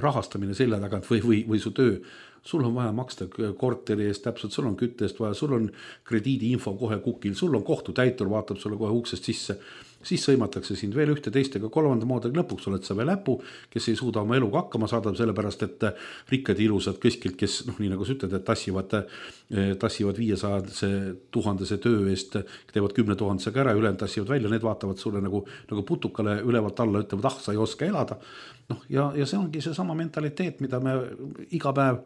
rahastamine selle tagant või su töö, sul on vaja maksta korteri eest täpselt, sul on kütte eest vaja, sul on krediidiinfo kohe kukil, sul on kohtutäitur, vaatab sulle kohe uksest sisse, siis sõimatakse sind veel ühte teistega kolmanda moodi, lõpuks oled sa veel läpu, kes ei suuda oma eluga hakkama saada, sellepärast, et rikkad ilusad keskilt, kes nii nagu sa ütled, et tassivad 500,000 töö eest, teevad 10,000 ära, ülejäänud tassivad välja, need vaatavad sulle nagu putukale ülevalt alla, ütlevad, sa ei oska elada. Ja see ongi see sama mentaliteet, mida me iga päev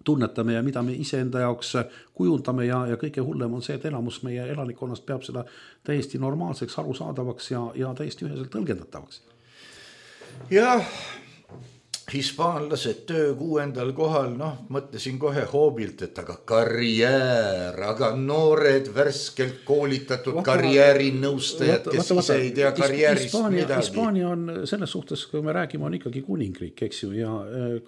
tunnetame ja mida me iseenda jaoks kujundame ja kõige hullem on see, et elamus meie elanikkonnast peab seda täiesti normaalseks, arusaadavaks ja täiesti üheselt tõlgendatavaks. Jah, hispaanlased töö 6. kohal, mõtlesin kohe hoobilt, et aga karjäär, aga noored värskelt koolitatud karjäärinõustajad, kes ise ei tea karjäärist midagi. Hispaania on selles suhtes, kui me räägime, on ikkagi kuningriik, eks ju, ja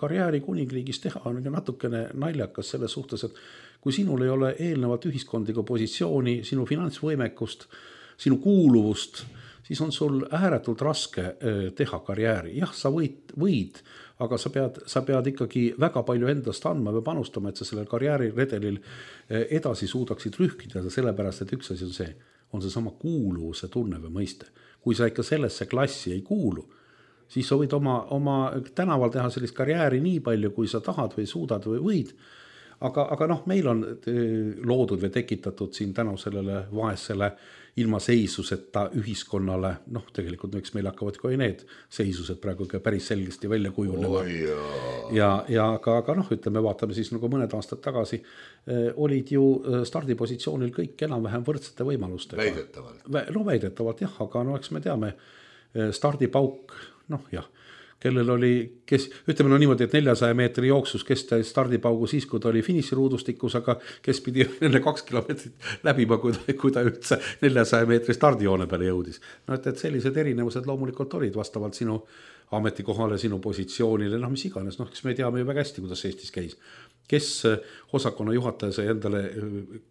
karjääri kuningriigis teha on natukene naljakas selles suhtes, et kui sinul ei ole eelnevalt ühiskondlikku positsiooni, sinu finantsvõimekust, sinu kuuluvust, siis on sul ääretult raske teha karjääri. Jah, sa võid, aga sa pead ikkagi väga palju endast andma või panustama, et sa sellel karjääriredelil edasi suudaksid rühkida, sellepärast, et üks asi on see sama kuuluvuse tunne või mõiste. Kui sa ikka sellesse klassi ei kuulu, siis sa võid oma tänaval teha sellist karjääri nii palju, kui sa tahad või suudad või võid. Aga meil on loodud või tekitatud siin tänu sellele vaesele ilma seisuseta ühiskonnale, tegelikult eks meil hakkavad ka need seisused praegu päris selgesti välja kujunema. Aga ütleme, vaatame siis nagu mõned aastad tagasi, olid ju stardipositsioonil kõik enam-vähem võrdsete võimalustega. Väidetavalt. Väidetavalt jah, aga eks me teame, stardipauk, kellel oli, kes, ütleme no niimoodi, et 400 meetri jooksus, kes ta stardipaugu siis, kui ta oli finiširuudustikus, aga kes pidi enne 2 kilomeetrit läbima, kui ta üldse 400 meetri stardijoone peale jõudis. No et sellised erinevused loomulikult olid vastavalt sinu ametikohale, sinu positsioonile, noh mis iganes, noh kes me teame ju väga hästi, kuidas Eestis käis. Kes osakonna juhataja sai endale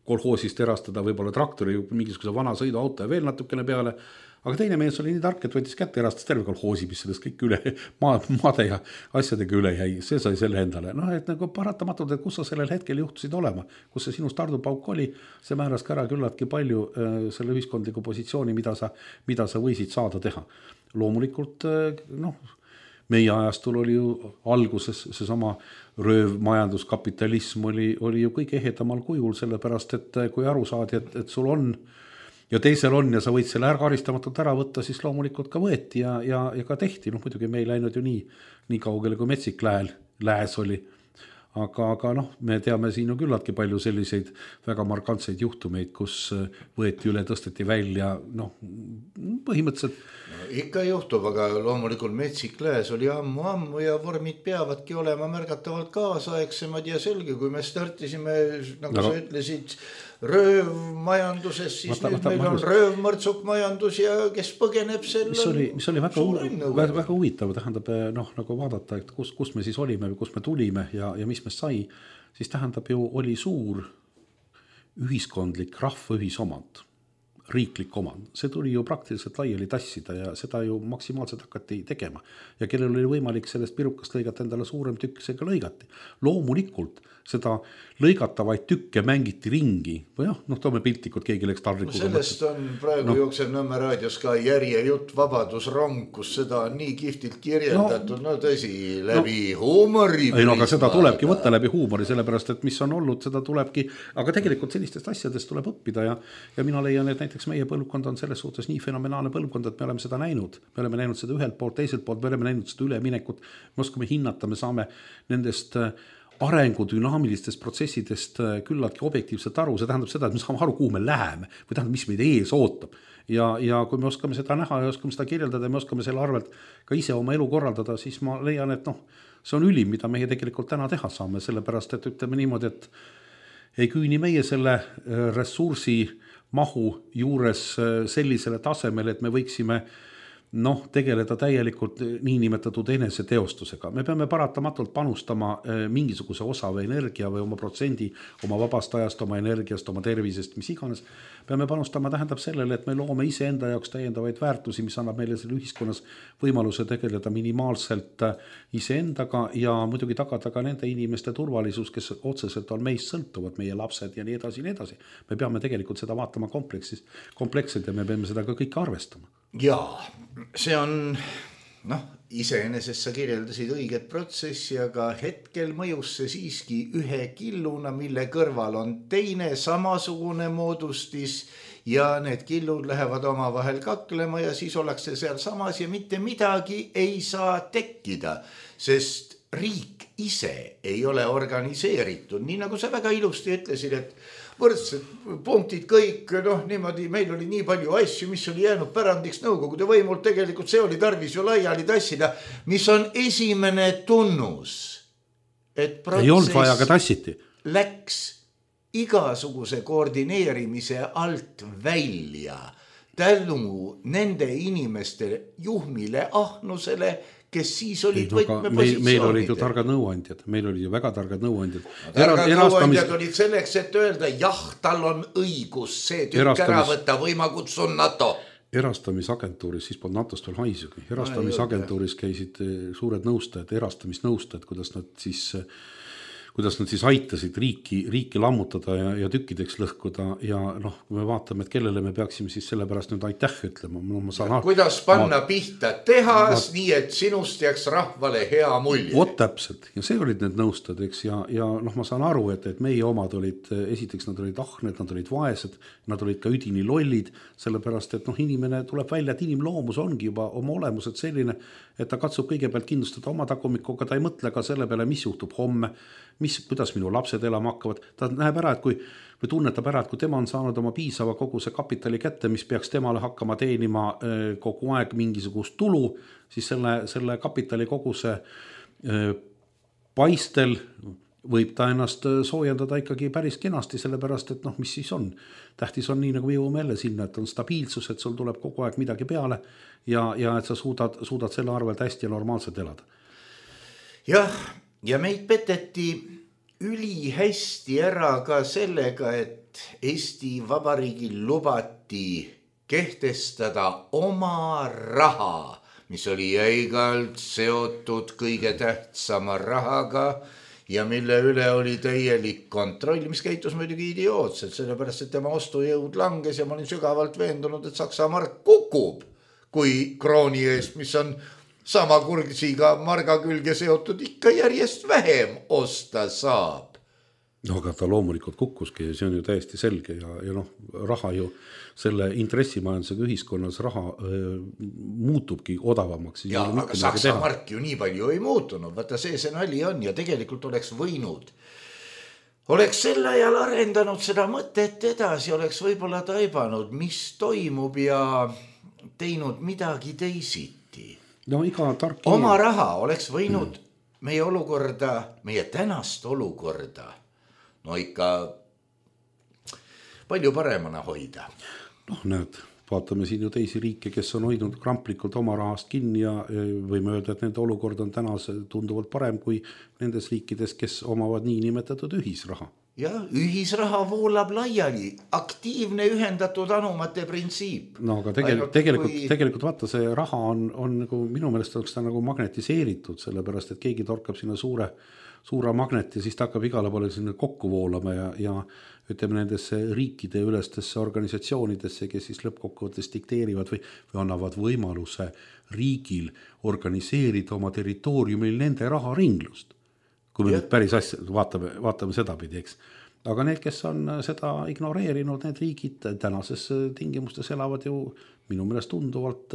kolhoosist erastada võib-olla traktori, mingisuguse vana sõiduauto ja veel natukene peale, aga teine mees oli nii tark, et võttis kätte, erastas terve kolhoosi, mis sellest kõik üle maade ja asjadega üle jäi, see sai selle endale. Noh, et nagu paratamatult, et kus sa sellel hetkel juhtusid olema, kus see sinu stardupauk oli, see määras ka ära küllaltki palju selle ühiskondliku positsiooni, mida sa võisid saada teha. Loomulikult, noh, meie ajastul oli ju alguses seesama röövmajanduskapitalism oli ju kõige ehedamal kujul, sellepärast, et kui aru saadi, et sul on ja teisel on ja sa võid selle karistamatult ära võtta, siis loomulikult ka võeti ja ka tehti. Noh, muidugi me ei läinud ju nii kaugele, kui metsik lääs oli. Aga noh, me teame siin ju küllaltki palju selliseid väga markantseid juhtumeid, kus võeti üle, tõsteti välja, noh, põhimõtteliselt. No, ikka juhtub, aga loomulikult metsik lääs oli ammu ja vormid peavadki olema märgatavalt kaasaegsemad ja selge, kui me startisime, nagu sa ütlesid, röövmajanduses, siis nüüd meil on röövmõrtsukmajandus ja kes põgeneb selle. Mis oli väga huvitav, tähendab, noh, nagu vaadata, et kus me siis olime või kus me tulime ja mis me sai, siis tähendab ju oli suur ühiskondlik rahva ühisomand, riiklik omand. See tuli ju praktiliselt laiali tassida ja seda ju maksimaalselt hakati tegema. Ja kellel oli võimalik sellest pirukast lõigata endale suurem tükk, see ka lõigati. Loomulikult seda lõigatavaid tükke mängiti ringi või noh, toome piltlikud, keegi läks tarrikuga. Sellest on praegu jooksev Nõmme raadios ka järjejutt Vabadusrong, kus seda on nii kihvtilt kirjeldatud, no tõsi, läbi huumori. Ei, no aga seda tulebki võtta läbi huumori, sellepärast, et mis on olnud, seda tulebki, aga tegelikult sellistest asjadest tuleb õppida ja mina leian, et näiteks meie põlvkond on selles suhtes nii fenomenaalne põlvkond, et me oleme seda näinud. Me oleme näinud seda ühelt poolt, teiselt poolt, me oleme näinud seda üleminekut, me oskame hinnata, me saame nendest arengudünaamilistest protsessidest küllaltki objektiivselt aru, see tähendab seda, et me saame aru, kuhu me läheme või tähendab, mis meid ees ootab ja kui me oskame seda näha ja oskame seda kirjeldada ja me oskame selle arvelt ka ise oma elu korraldada, siis ma leian, et noh, see on ülim, mida meie tegelikult täna teha saame, sellepärast, et ütleme niimoodi, et ei küüni meie selle ressursi mahu juures sellisele tasemele, et me võiksime tegeleda täielikult niinimetatud eneseteostusega. Me peame paratamatult panustama mingisuguse osa või energia või oma protsendi oma vabast ajast, oma energiast, oma tervisest, mis iganes. Peame panustama tähendab sellele, et me loome ise enda jaoks täiendavaid väärtusi, mis annab meile selle ühiskonnas võimaluse tegeleda minimaalselt iseendaga ja muidugi tagada ka nende inimeste turvalisus, kes otseselt on meist sõltuvad, meie lapsed ja nii edasi, nii edasi. Me peame tegelikult seda vaatama kompleksselt ja me peame seda ka kõik arvestama. Jaa, see on, iseenesest sa kirjeldasid õiget protsessi, aga hetkel mõjus see siiski ühe killuna, mille kõrval on teine samasugune moodustis ja need killud lähevad omavahel kaklema ja siis ollakse seal samas ja mitte midagi ei saa tekkida, sest riik ise ei ole organiseeritud, nii nagu sa väga ilusti ütlesid, et võrdsed punktid kõik, niimoodi, meil oli nii palju asju, mis oli jäänud pärandiks nõukogude võimult, tegelikult see oli tarvis ju laiali tassida, mis on esimene tunnus, et protsess läks igasuguse koordineerimise alt välja tänu nende inimeste juhmile ahnusele, kes siis olid võtmepositsioonid. Meil olid ju targad nõuandjad, meil olid ju väga targad nõuandjad. Targad nõuandjad olid selleks, et öelda, tal on õigus see tükk ära võtta või ma kutsun NATO. Erastamisagentuuris, siis polnud NATOst veel haisugi. Erastamisagentuuris käisid suured nõustajad, erastamisnõustajad, kuidas nad siis aitasid riiki lammutada ja tükkideks lõhkuda ja kui me vaatame, et kellele me peaksime siis selle pärast nüüd aitäh ütlema. Kuidas panna pihta tehas, nii et sinust jääks rahvale hea mulje. Vot täpselt ja see olid need nõustajad, eks ja ma saan aru, et meie omad olid, esiteks nad olid ahned, nad olid vaesed, nad olid ka üdini lollid, sellepärast, et inimene tuleb välja, et inimloomus ongi juba oma olemuselt selline, et ta katsub kõigepealt kindlustada oma tagumikuga, ta ei mõtle ka selle peale, mis juhtub homme kuidas minu lapsed elama hakkavad, ta näeb ära, et või tunnetab ära, et kui tema on saanud oma piisava koguse kapitali kätte, mis peaks temale hakkama teenima kogu aeg mingisugust tulu, siis selle kapitali koguse paistel võib ta ennast soojendada ikkagi päris kenasti, sellepärast, et mis siis on. Tähtis on nii, nagu jõuame jälle sinna, et on stabiilsus, et sul tuleb kogu aeg midagi peale ja et sa suudad selle arvelt hästi ja normaalselt elada. Jah, ja meid peteti ülihästi ära ka sellega, et Eesti Vabariigil lubati kehtestada oma raha, mis oli jäigalt seotud kõige tähtsama rahaga ja mille üle oli täielik kontroll, mis käitus muidugi idiootselt, sellepärast, et tema ostujõud langes ja ma olin sügavalt veendunud, et Saksa mark kukub, kui krooni eest, mis on sama kursiga marga külge seotud, ikka järjest vähem osta saab. No aga ta loomulikult kukkuski, see on ju täiesti selge ja raha ju selle intressimajandusega ühiskonnas raha muutubki odavamaks. Ja, aga Saksa mark ju nii palju ei muutunud, vaata see nali on ja tegelikult oleks võinud. Oleks sel ajal arendanud seda mõtet edasi, oleks võib-olla taibanud, mis toimub ja teinud midagi teisiti. No iga tark oma raha oleks võinud meie olukorda, meie tänast olukorda ikka palju paremana hoida. Näed, vaatame siin ju teisi riike, kes on hoidnud kramplikult oma rahast kinni ja võime öelda, et nende olukord on tänas tunduvalt parem kui nendes riikides, kes omavad nii nimetatud ühisraha. Ja ühisraha voolab laiali, aktiivne ühendatud anumate printsiip. No aga tegelikult vaata, see raha on nagu, minu meelest oleks ta nagu magnetiseeritud, sellepärast, et keegi torkab sinna suure magnet ja siis ta hakkab igale poole sinna kokku voolama ja ütleme nendesse riikide ülestesse organisatsioonidesse, kes siis lõppkokkuvõttes dikteerivad või annavad võimaluse riigil organiseerida oma territooriumil nende raharinglust. Kui me nüüd päris asja vaatame seda pidi, eks. Aga need, kes on seda ignoreerinud, need riigid tänases tingimustes elavad ju minu meelest tunduvalt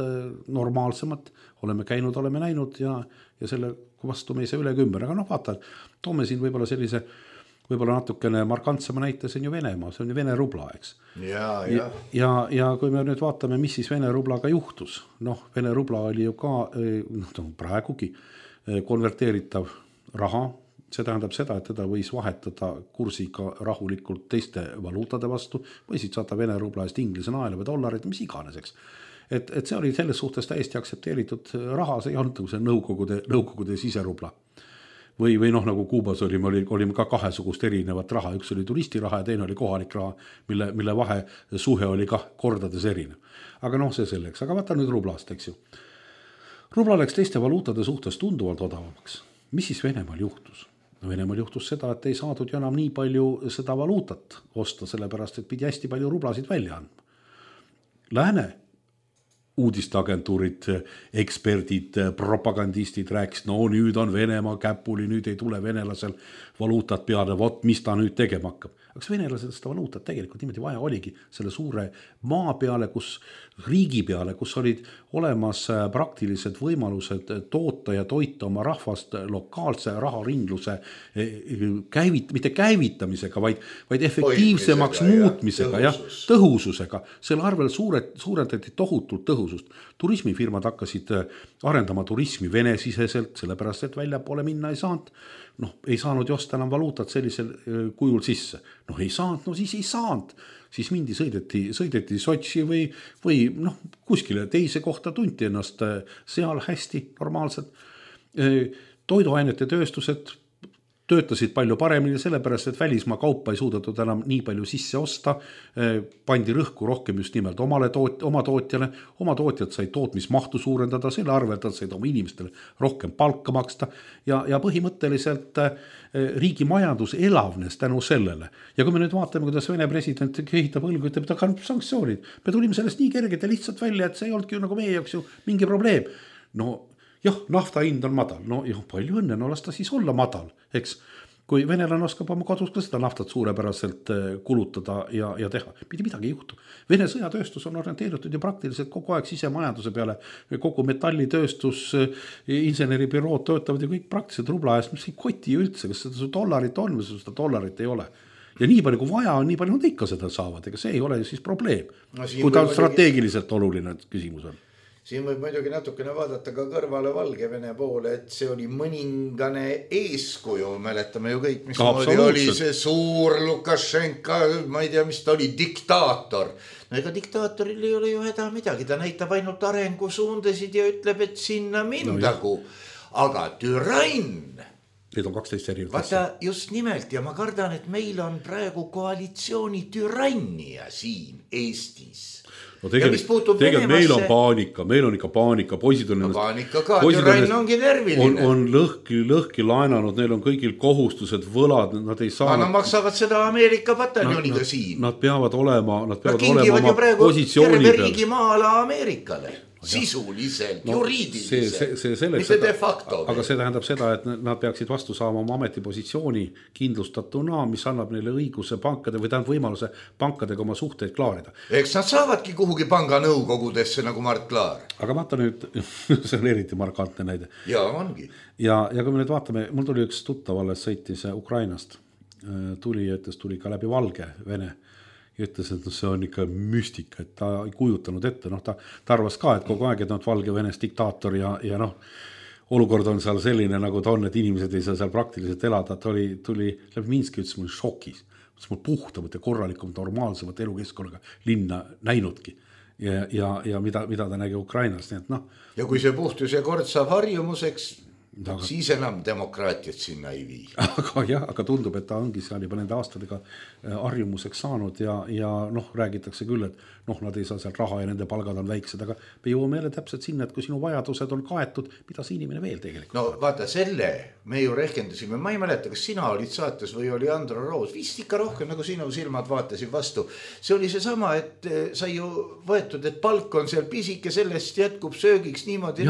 normaalsemad. Oleme käinud, oleme näinud ja selle vastu me ei saa üle ümber. Aga vaata, toome siin võib-olla sellise natukene markantsema näite, see on ju Venemaa, see on ju Vene rubla, eks. Ja kui me nüüd vaatame, mis siis Vene rublaga juhtus. Vene rubla oli ju ka praegugi konverteeritav raha. See tähendab seda, et teda võis vahetada kursiga rahulikult teiste valuutade vastu või siis saada Vene rubla eest inglise naela või dollarid, mis iganeseks. Et see oli selles suhtes täiesti aktsepteeritud raha, see ei olnud nagu see nõukogude siserubla. Või nagu Kuubas olime ka kahesugust erinevat raha, üks oli turistiraha ja teine oli kohalik raha, mille vahe suhe oli ka kordades erinev. Aga see selleks, aga vaata nüüd rublast, eks ju. Rubla läks teiste valuutade suhtes tunduvalt odavamaks. Mis siis Venemaal juhtus? Venemaal juhtus seda, et ei saadud ju enam nii palju seda valuutat osta, sellepärast, et pidi hästi palju rublasid välja andma. Lääne uudisteagentuurid, eksperdid, propagandistid rääkis, nüüd on Venemaa käpuli, nüüd ei tule venelasel valuutat peale, mis ta nüüd tegema hakkab. Aga venelased seda valuutat tegelikult niimoodi vaja oligi selle suure maa peale, riigi peale, kus olid olemas praktilised võimalused toota ja toita oma rahvast lokaalse raharingluse mitte käivitamisega, vaid efektiivsemaks muutmisega ja tõhususega. Selle arvel suurendati tohutult tõhusust. Turismifirmad hakkasid arendama turismi Vene-siseselt, sellepärast, et välja poole minna ei saanud. Ei saanud josta enam valuutat sellisel kujul sisse. Ei saanud, siis ei saanud. Siis mindi sõideti Sotši või kuskile teise kohta tunti ennast seal hästi normaalselt. Toiduainete tööstused töötasid palju paremini, sellepärast, et välismaa kaupa ei suudetud enam nii palju sisse osta, pandi rõhku rohkem just nimelt oma tootjale, oma tootjad said tootmismahtu suurendada, selle arvelt said oma inimestele rohkem palka maksta ja põhimõtteliselt riigi majandus elavnes tänu sellele. Ja kui me nüüd vaatame, kuidas Vene president kehitab õlgu, ütleb, et aga sanktsioonid, me tulime sellest nii kergelt ja lihtsalt välja, et see ei olnudki nagu meie jaoks ju mingi probleem. Jah, nafta hind on madal, palju õnne, las ta siis olla madal, eks. kui venelane oskab oma kodus ka seda naftat suurepäraselt kulutada ja teha, mitte midagi ei juhtu. Vene sõjatööstus on orienteeritud ju praktiliselt kogu aeg sisemajanduse peale, kogu metallitööstus, inseneribürood töötavad ju kõik praktiliselt rubla eest, mis ei koti üldse, kas seda dollarit on või seda dollarit ei ole. Ja nii palju kui vaja on, nii palju nad ikka seda saavad, ega see ei ole ju siis probleem, kui ta strateegiliselt oluline küsimus on. Siin võib muidugi natukene vaadata ka kõrvale Valgevene poole, et see oli mõningane eeskuju, mäletame ju kõik, mis oli see suur Lukašenka, ma ei tea, mis ta oli, diktaator. No ega diktaatoril ei ole ju häda midagi, ta näitab ainult arengusuundasid ja ütleb, et sinna mindagu. Aga türann, need on 12 erinevat asja. Vaata just nimelt ja ma kardan, et meil on praegu koalitsiooni türannia siin Eestis. No tegelikult meil on paanika, meil on ikka paanika, poisid on no paanika ka, türann ongi nerviline. On lõhki laenanud, neil on kõigil kohustused, võlad, nad ei saa. Nad maksavad seda Ameerika pataljoniga siin. Nad peavad olema oma praegu positsiooni terve riigi maala Ameerikale. Sisuliselt, juriidiliselt, mitte de facto. Aga see tähendab seda, et nad peaksid vastu saama oma ametipositsiooni kindlustatuna, mis annab neile õiguse pankade või tähendab võimaluse pankadega oma suhteid klaarida. Eks nad saavadki kuhugi panga nõukogudesse nagu Mart Laar. Aga vaata nüüd, see on eriti markantne näide. Ja ongi. Ja kui me nüüd vaatame, mul tuli üks tuttav alles sõitis Ukrainast, tuli ka läbi Valgevene. Ja ütles, et see on ikka müstika, et ta ei kujutanud ette, ta arvas ka, et kogu aeg, et nad Valgevenes diktaator ja olukord on seal selline, nagu ta on, et inimesed ei saa seal praktiliselt elada, tuli läbi Minski, ütles mul šokis, mul puhtamat ja korralikumat normaalsemat elukeskkonnaga linna näinudki ja mida ta nägi Ukrainas, nii et Ja kui see puhtus ja kord saab harjumuseks, siis enam demokraatiat sinna ei vii. Aga tundub, et ta ongi seal juba nende aastadega harjumuseks saanud ja räägitakse küll, et nad ei saa seal raha ja nende palgad on väiksed, aga me jõuame jälle täpselt sinna, et kui sinu vajadused on kaetud, mida see inimene veel tegelikult? No vaata, selle me ju rehkendasime, ma ei mäleta, kas sina olid saates või oli Andro Roos, vist ikka rohkem, nagu sinu silmad vaatasid vastu. See oli see sama, et sai ju võetud, et palk on seal pisike, sellest jätkub söögiks niimoodi,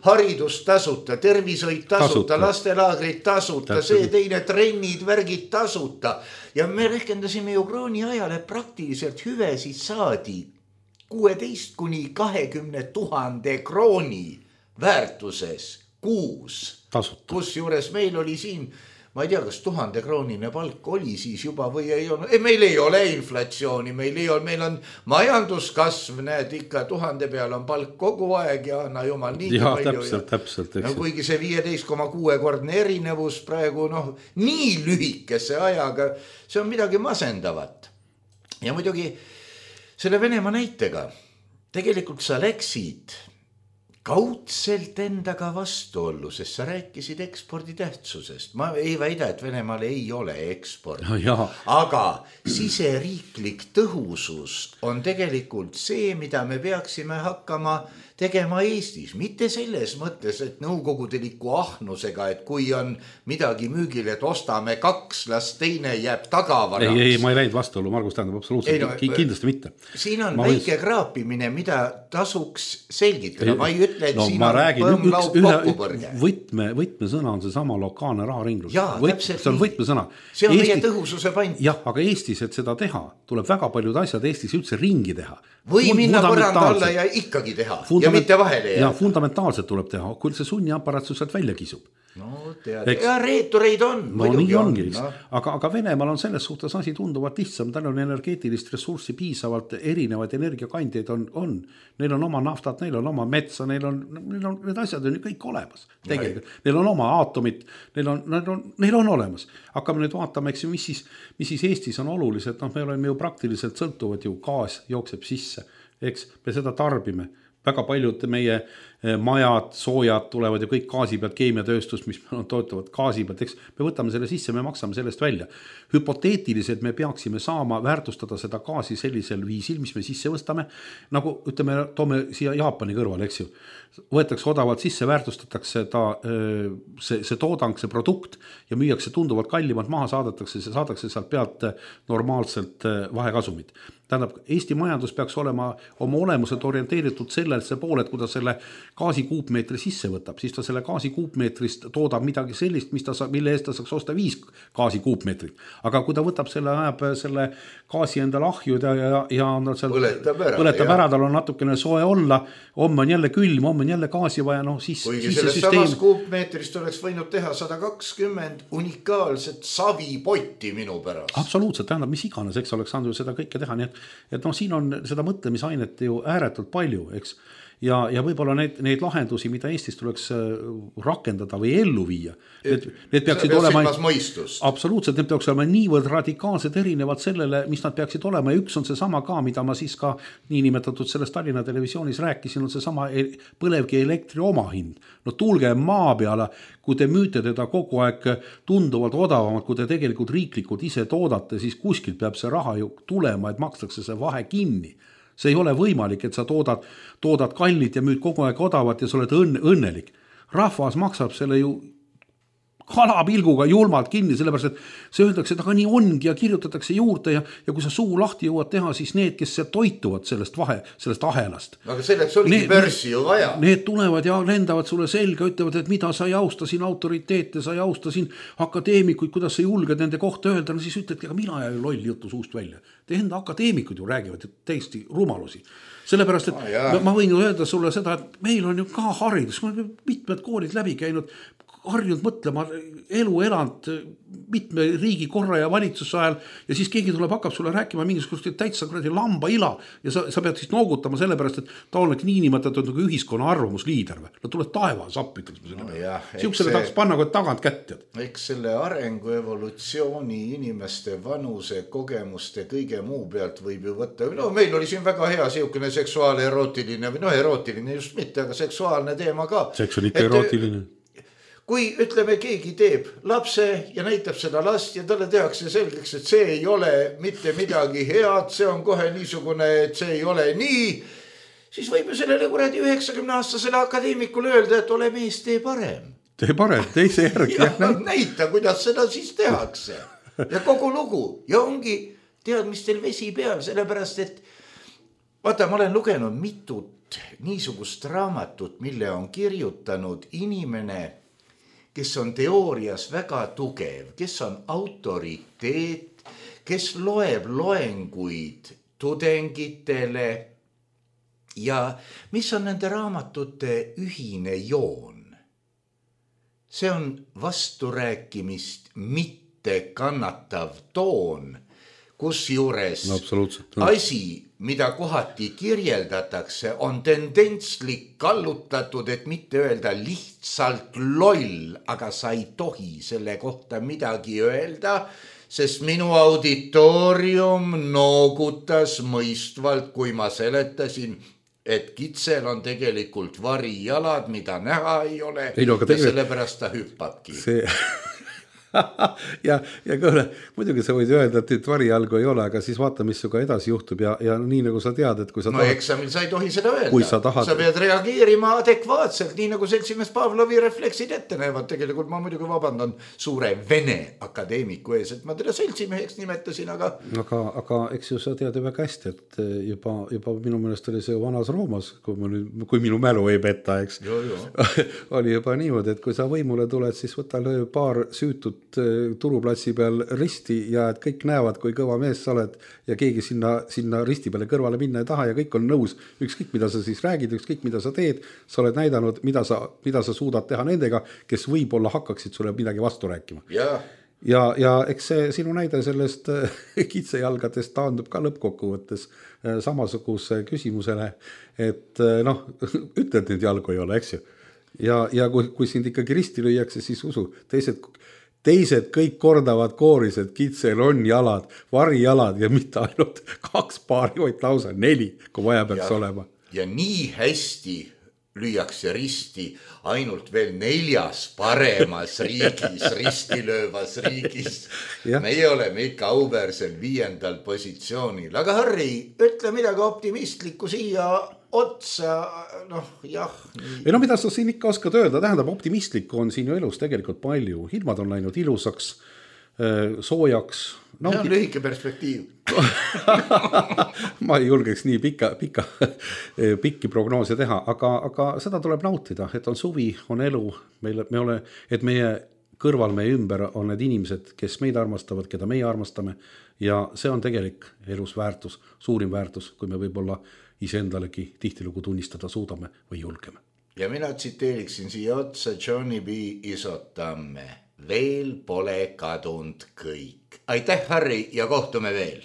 haridus tasuta, tervishoid tasuta, lastelaagrid tasuta, see teine trennid, värgid tasuta. Ja me rehkendasime ju krooni ajal, et praktiliselt hüvesid saadi 16-20 000 krooni väärtuses kuus. Kus juures meil oli siin, ma ei tea, kas 1000 kroonine palk oli siis juba või ei olnud. Meil ei ole inflatsiooni, meil on majanduskasv, näed ikka 1000 peal on palk kogu aeg ja anna jumal nii palju. Täpselt. Kuigi see 15,6-kordne erinevus praegu nii lühikese ajaga, see on midagi masendavat. Ja muidugi selle Venemaa näitega tegelikult sa läksid kaudselt endaga vastuollu, sest sa rääkisid ekspordi tähtsusest. Ma ei väida, et Venemaal ei ole eksport. Aga siseriiklik tõhusus on tegelikult see, mida me peaksime hakkama tegema Eestis. Mitte selles mõttes, et nõukogudeliku ahnusega, et kui on midagi müügil, et ostame 2, las teine jääb tagavaraks. Ei, ma ei läinud vastuollu, Margus tähendab absoluutselt, kindlasti mitte. Siin on väike kraapimine, mida tasuks selgitada. Ma ei ütle, et siin on põmmlaub kokkupõrge. Võtmesõna on see sama lokaalne raharinglus. See on võtmesõna. See on meie tõhususe pant. Jah, aga Eestis, et seda teha, tuleb väga paljud asjad Eestis üldse ringi teha. Või minna põranda alla ja ikkagi teha ja mitte vahele jääda. Ja fundamentaalselt tuleb teha, kui see sunniaparaatsus sealt välja kisub. No tead, ja reetureid on. Nii ongi, aga Venemaal on selles suhtes asi tunduvalt lihtsam, tal on energeetilist ressurssi piisavalt, erinevaid energiakandjaid on. Neil on oma naftat, neil on oma metsa, neil on need asjad on kõik olemas. Tegelikult. Neil on oma aatomid, neil on olemas. Hakkame nüüd vaatama, mis siis Eestis on olulised, me oleme ju praktiliselt sõltuvad ju, gaas jookseb sisse, eks me seda tarbime. Väga paljud meie majad, soojad tulevad ju kõik gaasi pealt, keemiatööstus, mis toetavad gaasi pealt, eks me võtame selle sisse, me maksame sellest välja. Hüpoteetiliselt me peaksime saama väärtustada seda gaasi sellisel viisil, mis me sisse võstame, nagu ütleme, toome siia Jaapani kõrval, eks ju. Võetakse odavalt sisse, väärtustatakse see toodang, see produkt ja müüakse tunduvalt kallimalt maha, saadatakse sealt pealt normaalselt vahekasumit. Tähendab, Eesti majandus peaks olema oma olemuselt orienteeritud sellesse poole, et kui ta selle gaasikuupmeetri sisse võtab, siis ta selle gaasikuupmeetrist toodab midagi sellist, mille eest ta saaks osta 5 gaasikuupmeetrit. Aga kui ta võtab selle, ajab selle gaasi endale ahjud ja on tal seal põletab ära, tal on natukene soe olla, homme on jälle külm, homme on jälle gaasi vaja, noh siis kuigi sellest samast kuupmeetrist oleks võinud teha 120 unikaalset savipotti minu pärast. Absoluutselt, tähendab, mis iganes, eks oleks saanud ju seda kõike teha, nii et noh, siin on seda mõtlemisainet ju ääretult palju, eks. Ja võib-olla need lahendusi, mida Eestis tuleks rakendada või ellu viia, need peaksid olema absoluutselt, need peaks olema niivõrd radikaalselt erinevad sellele, mis nad peaksid olema ja üks on see sama ka, mida ma siis ka niinimetatud selles Tallinna televisioonis rääkisin, on see sama põlevkivi elektri omahind. No tulge maa peale, kui te müüte teda kogu aeg tunduvalt odavamalt, kui te tegelikult riiklikult ise toodate, siis kuskilt peab see raha ju tulema, et makstakse see vahe kinni. See ei ole võimalik, et sa toodad kallit ja müüd kogu aeg odavat ja sa oled õnnelik. Rahvas maksab selle ju kalapilguga julmalt kinni, sellepärast, et see öeldakse, et aga nii ongi ja kirjutatakse juurde ja kui sa suu lahti jõuad teha, siis need, kes toituvad sellest ahelast. Aga selleks oligi börsi ju vaja. Need tulevad ja lendavad sulle selga, ütlevad, et mida sa ei austa siin autoriteete, sa ei austa siin akadeemikuid, kuidas sa julged nende kohta öelda, no siis ütledki, aga mina ei loll jutu suust välja. Te enda akadeemikud ju räägivad täiesti rumalusi. Sellepärast, et ma võin ju öelda sulle seda, et meil on ju ka haridus, mitmed koolid läbi käinud, harjunud mõtlema, elu elanud mitme riigi korra ja valitsuse ajal ja siis keegi tuleb, hakkab sulle rääkima mingisugust täitsa lamba ila ja sa pead siis noogutama sellepärast, et ta oleks niinimetatud nagu ühiskonna arvamusliider. No tuleb taevas appi, siuksele tahaks panna kui tagant kätt. Eks selle arengu evolutsiooni inimeste vanuse kogemuste kõige muu pealt võib ju võtta. No meil oli siin väga hea siukene seksuaal-erootiline või erootiline just mitte, aga seksuaalne teema ka. Seks on ikka erootiline. Kui ütleme, keegi teeb lapse ja näitab seda last ja talle tehakse selgeks, et see ei ole mitte midagi head, see on kohe niisugune, et see ei ole nii, siis võib ju sellele kuradi 90-aastasele akadeemikule öelda, et ole mees, tee parem. Tee parem, teise järgi. Näita, kuidas seda siis tehakse. Ja kogu lugu. Ja ongi teadmistel vesi peal, sellepärast, et vaata, ma olen lugenud mitut niisugust raamatut, mille on kirjutanud inimene, kes on teoorias väga tugev, kes on autoriteet, kes loeb loenguid tudengitele ja mis on nende raamatute ühine joon. See on vasturääkimist mitte kannatav toon, kus juures asi, mida kohati kirjeldatakse, on tendentslik kallutatud, et mitte öelda lihtsalt loll, aga sa ei tohi selle kohta midagi öelda, sest minu auditoorium noogutas mõistvalt, kui ma seletasin, et kitsel on tegelikult varijalad, mida näha ei ole ja sellepärast ta hüppabki. ja kõhle, muidugi sa võid öelda, et varijalgu ei ole, aga siis vaata, mis suga edasi juhtub ja nii nagu sa tead, et kui sa tahad... eksamil sa ei tohi seda öelda. Sa pead reageerima adekvaatselt, nii nagu seltsimees Pavlovi refleksid ette näevad. Tegelikult ma muidugi vabandan suure Vene akadeemiku ees, et ma teda seltsimeheks nimetasin, aga eks ju sa tead ju väga hästi, et juba minu meelest oli see vanas Roomas, kui minu mälu ei peta, eks. oli juba niimoodi, et kui sa võimule tuled, siis võta paar süütut turuplatsi peal risti ja et kõik näevad, kui kõva mees sa oled ja keegi sinna risti peale kõrvale minna ei taha ja kõik on nõus. Ükskõik, mida sa siis räägid, ükskõik, mida sa teed, sa oled näidanud, mida sa suudad teha nendega, kes võib-olla hakkaksid sulle midagi vastu rääkima. Ja eks see sinu näide sellest kitsejalgadest taandub ka lõppkokkuvõttes samasuguse küsimusele, et ütled nüüd jalgu ei ole, eks ju. Ja kui sind ikkagi risti lüüakse, siis usu, teised kõik kordavad kooris, et kitsel on jalad, varijalad ja mitte ainult 2 paari, vaid lausa 4, kui vaja peaks olema. Ja nii hästi lüüakse risti ainult veel 4 paremas riigis, ristilöövas riigis. Meie oleme ikka auväärsel 5. positsioonil. Aga Harri, ütle midagi optimistlikku siia otsa, Ei mida sa siin ikka oskad öelda, tähendab optimistlikku on siin ju elus tegelikult palju. Ilmad on läinud ilusaks, soojaks, See on lühike perspektiiv. Ma ei julgeks nii pikki prognoose teha, aga seda tuleb nautida, et on suvi, on elu, et meie kõrval, meie ümber on need inimesed, kes meid armastavad, keda meie armastame ja see on tegelik elus väärtus, suurim väärtus, kui me võib-olla iseendalegi tihtilugu tunnistada suudame või julgeme. Ja mina tsiteeriksin siia otsa Johnny B. Isotamme. Veel pole kadunud kõik. Aitäh, Harri, ja kohtume veel.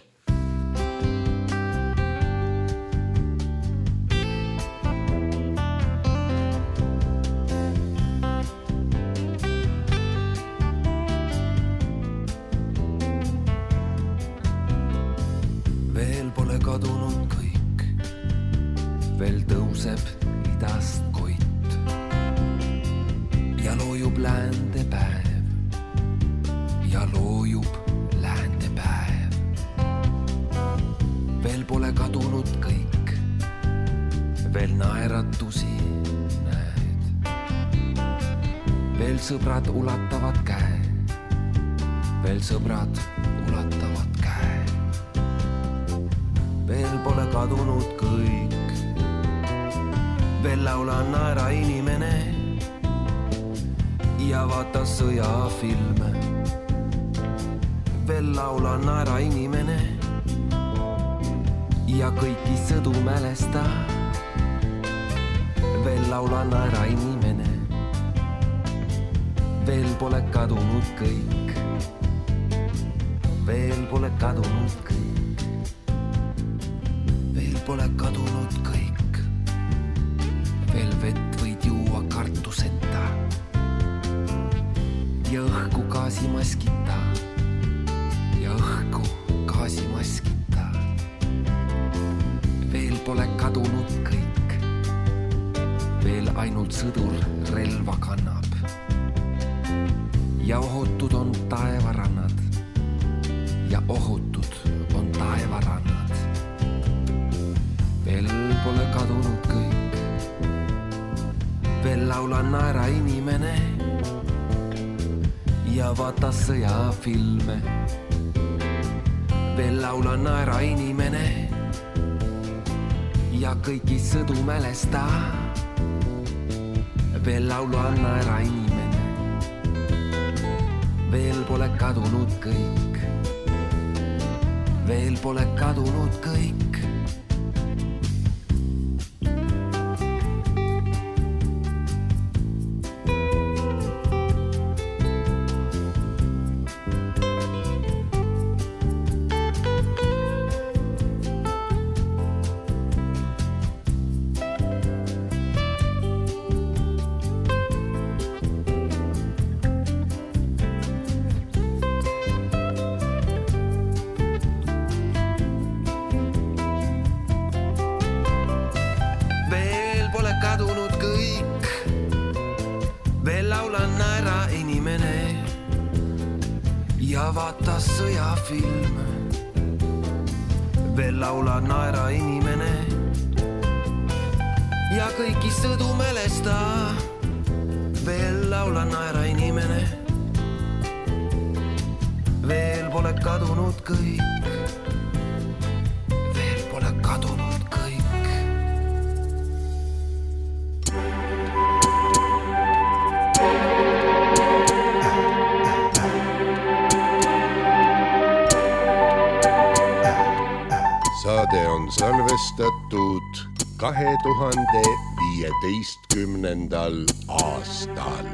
Veel pole kadunud kõik, veel tõuseb idast koit ja loojub läände päev. Ja loojub läände päev. Veel pole kadunud kõik, veel naeratusi näed. Veel sõbrad ulatavad käe, veel sõbrad ulatavad käe. Veel pole kadunud kõik, veel laula naera inimene ja vaata sõjafilme. Veel laula naera inimene ja kõiki sõdu mälesta. Veel laula naera inimene, veel pole kadunud kõik, veel pole kadunud kõik, veel pole kadunud kõik, veel vett võid juua kartuseta ja õhku gaasimaskita. Ja õhku gaasimaskita. Veel pole kadunud kõik, veel ainult sõdur relva kannab ja ohutud on taevarannad ja ohutud on taevarannad. Veel pole kadunud kõik, veel laula naera inimene ja vaata sõjafilme. Veel laula naera inimene ja kõiki sõdu mälesta. Veel laula naera inimene, veel pole kadunud kõik, veel pole kadunud kõik. Ja vaata sõjafilme, veel laula naera inimene ja kõiki sõdu mälesta. Veel laula naera inimene, veel pole kadunud kõik, veel pole kadunud kõik. Saade on salvestatud 2015. aastal.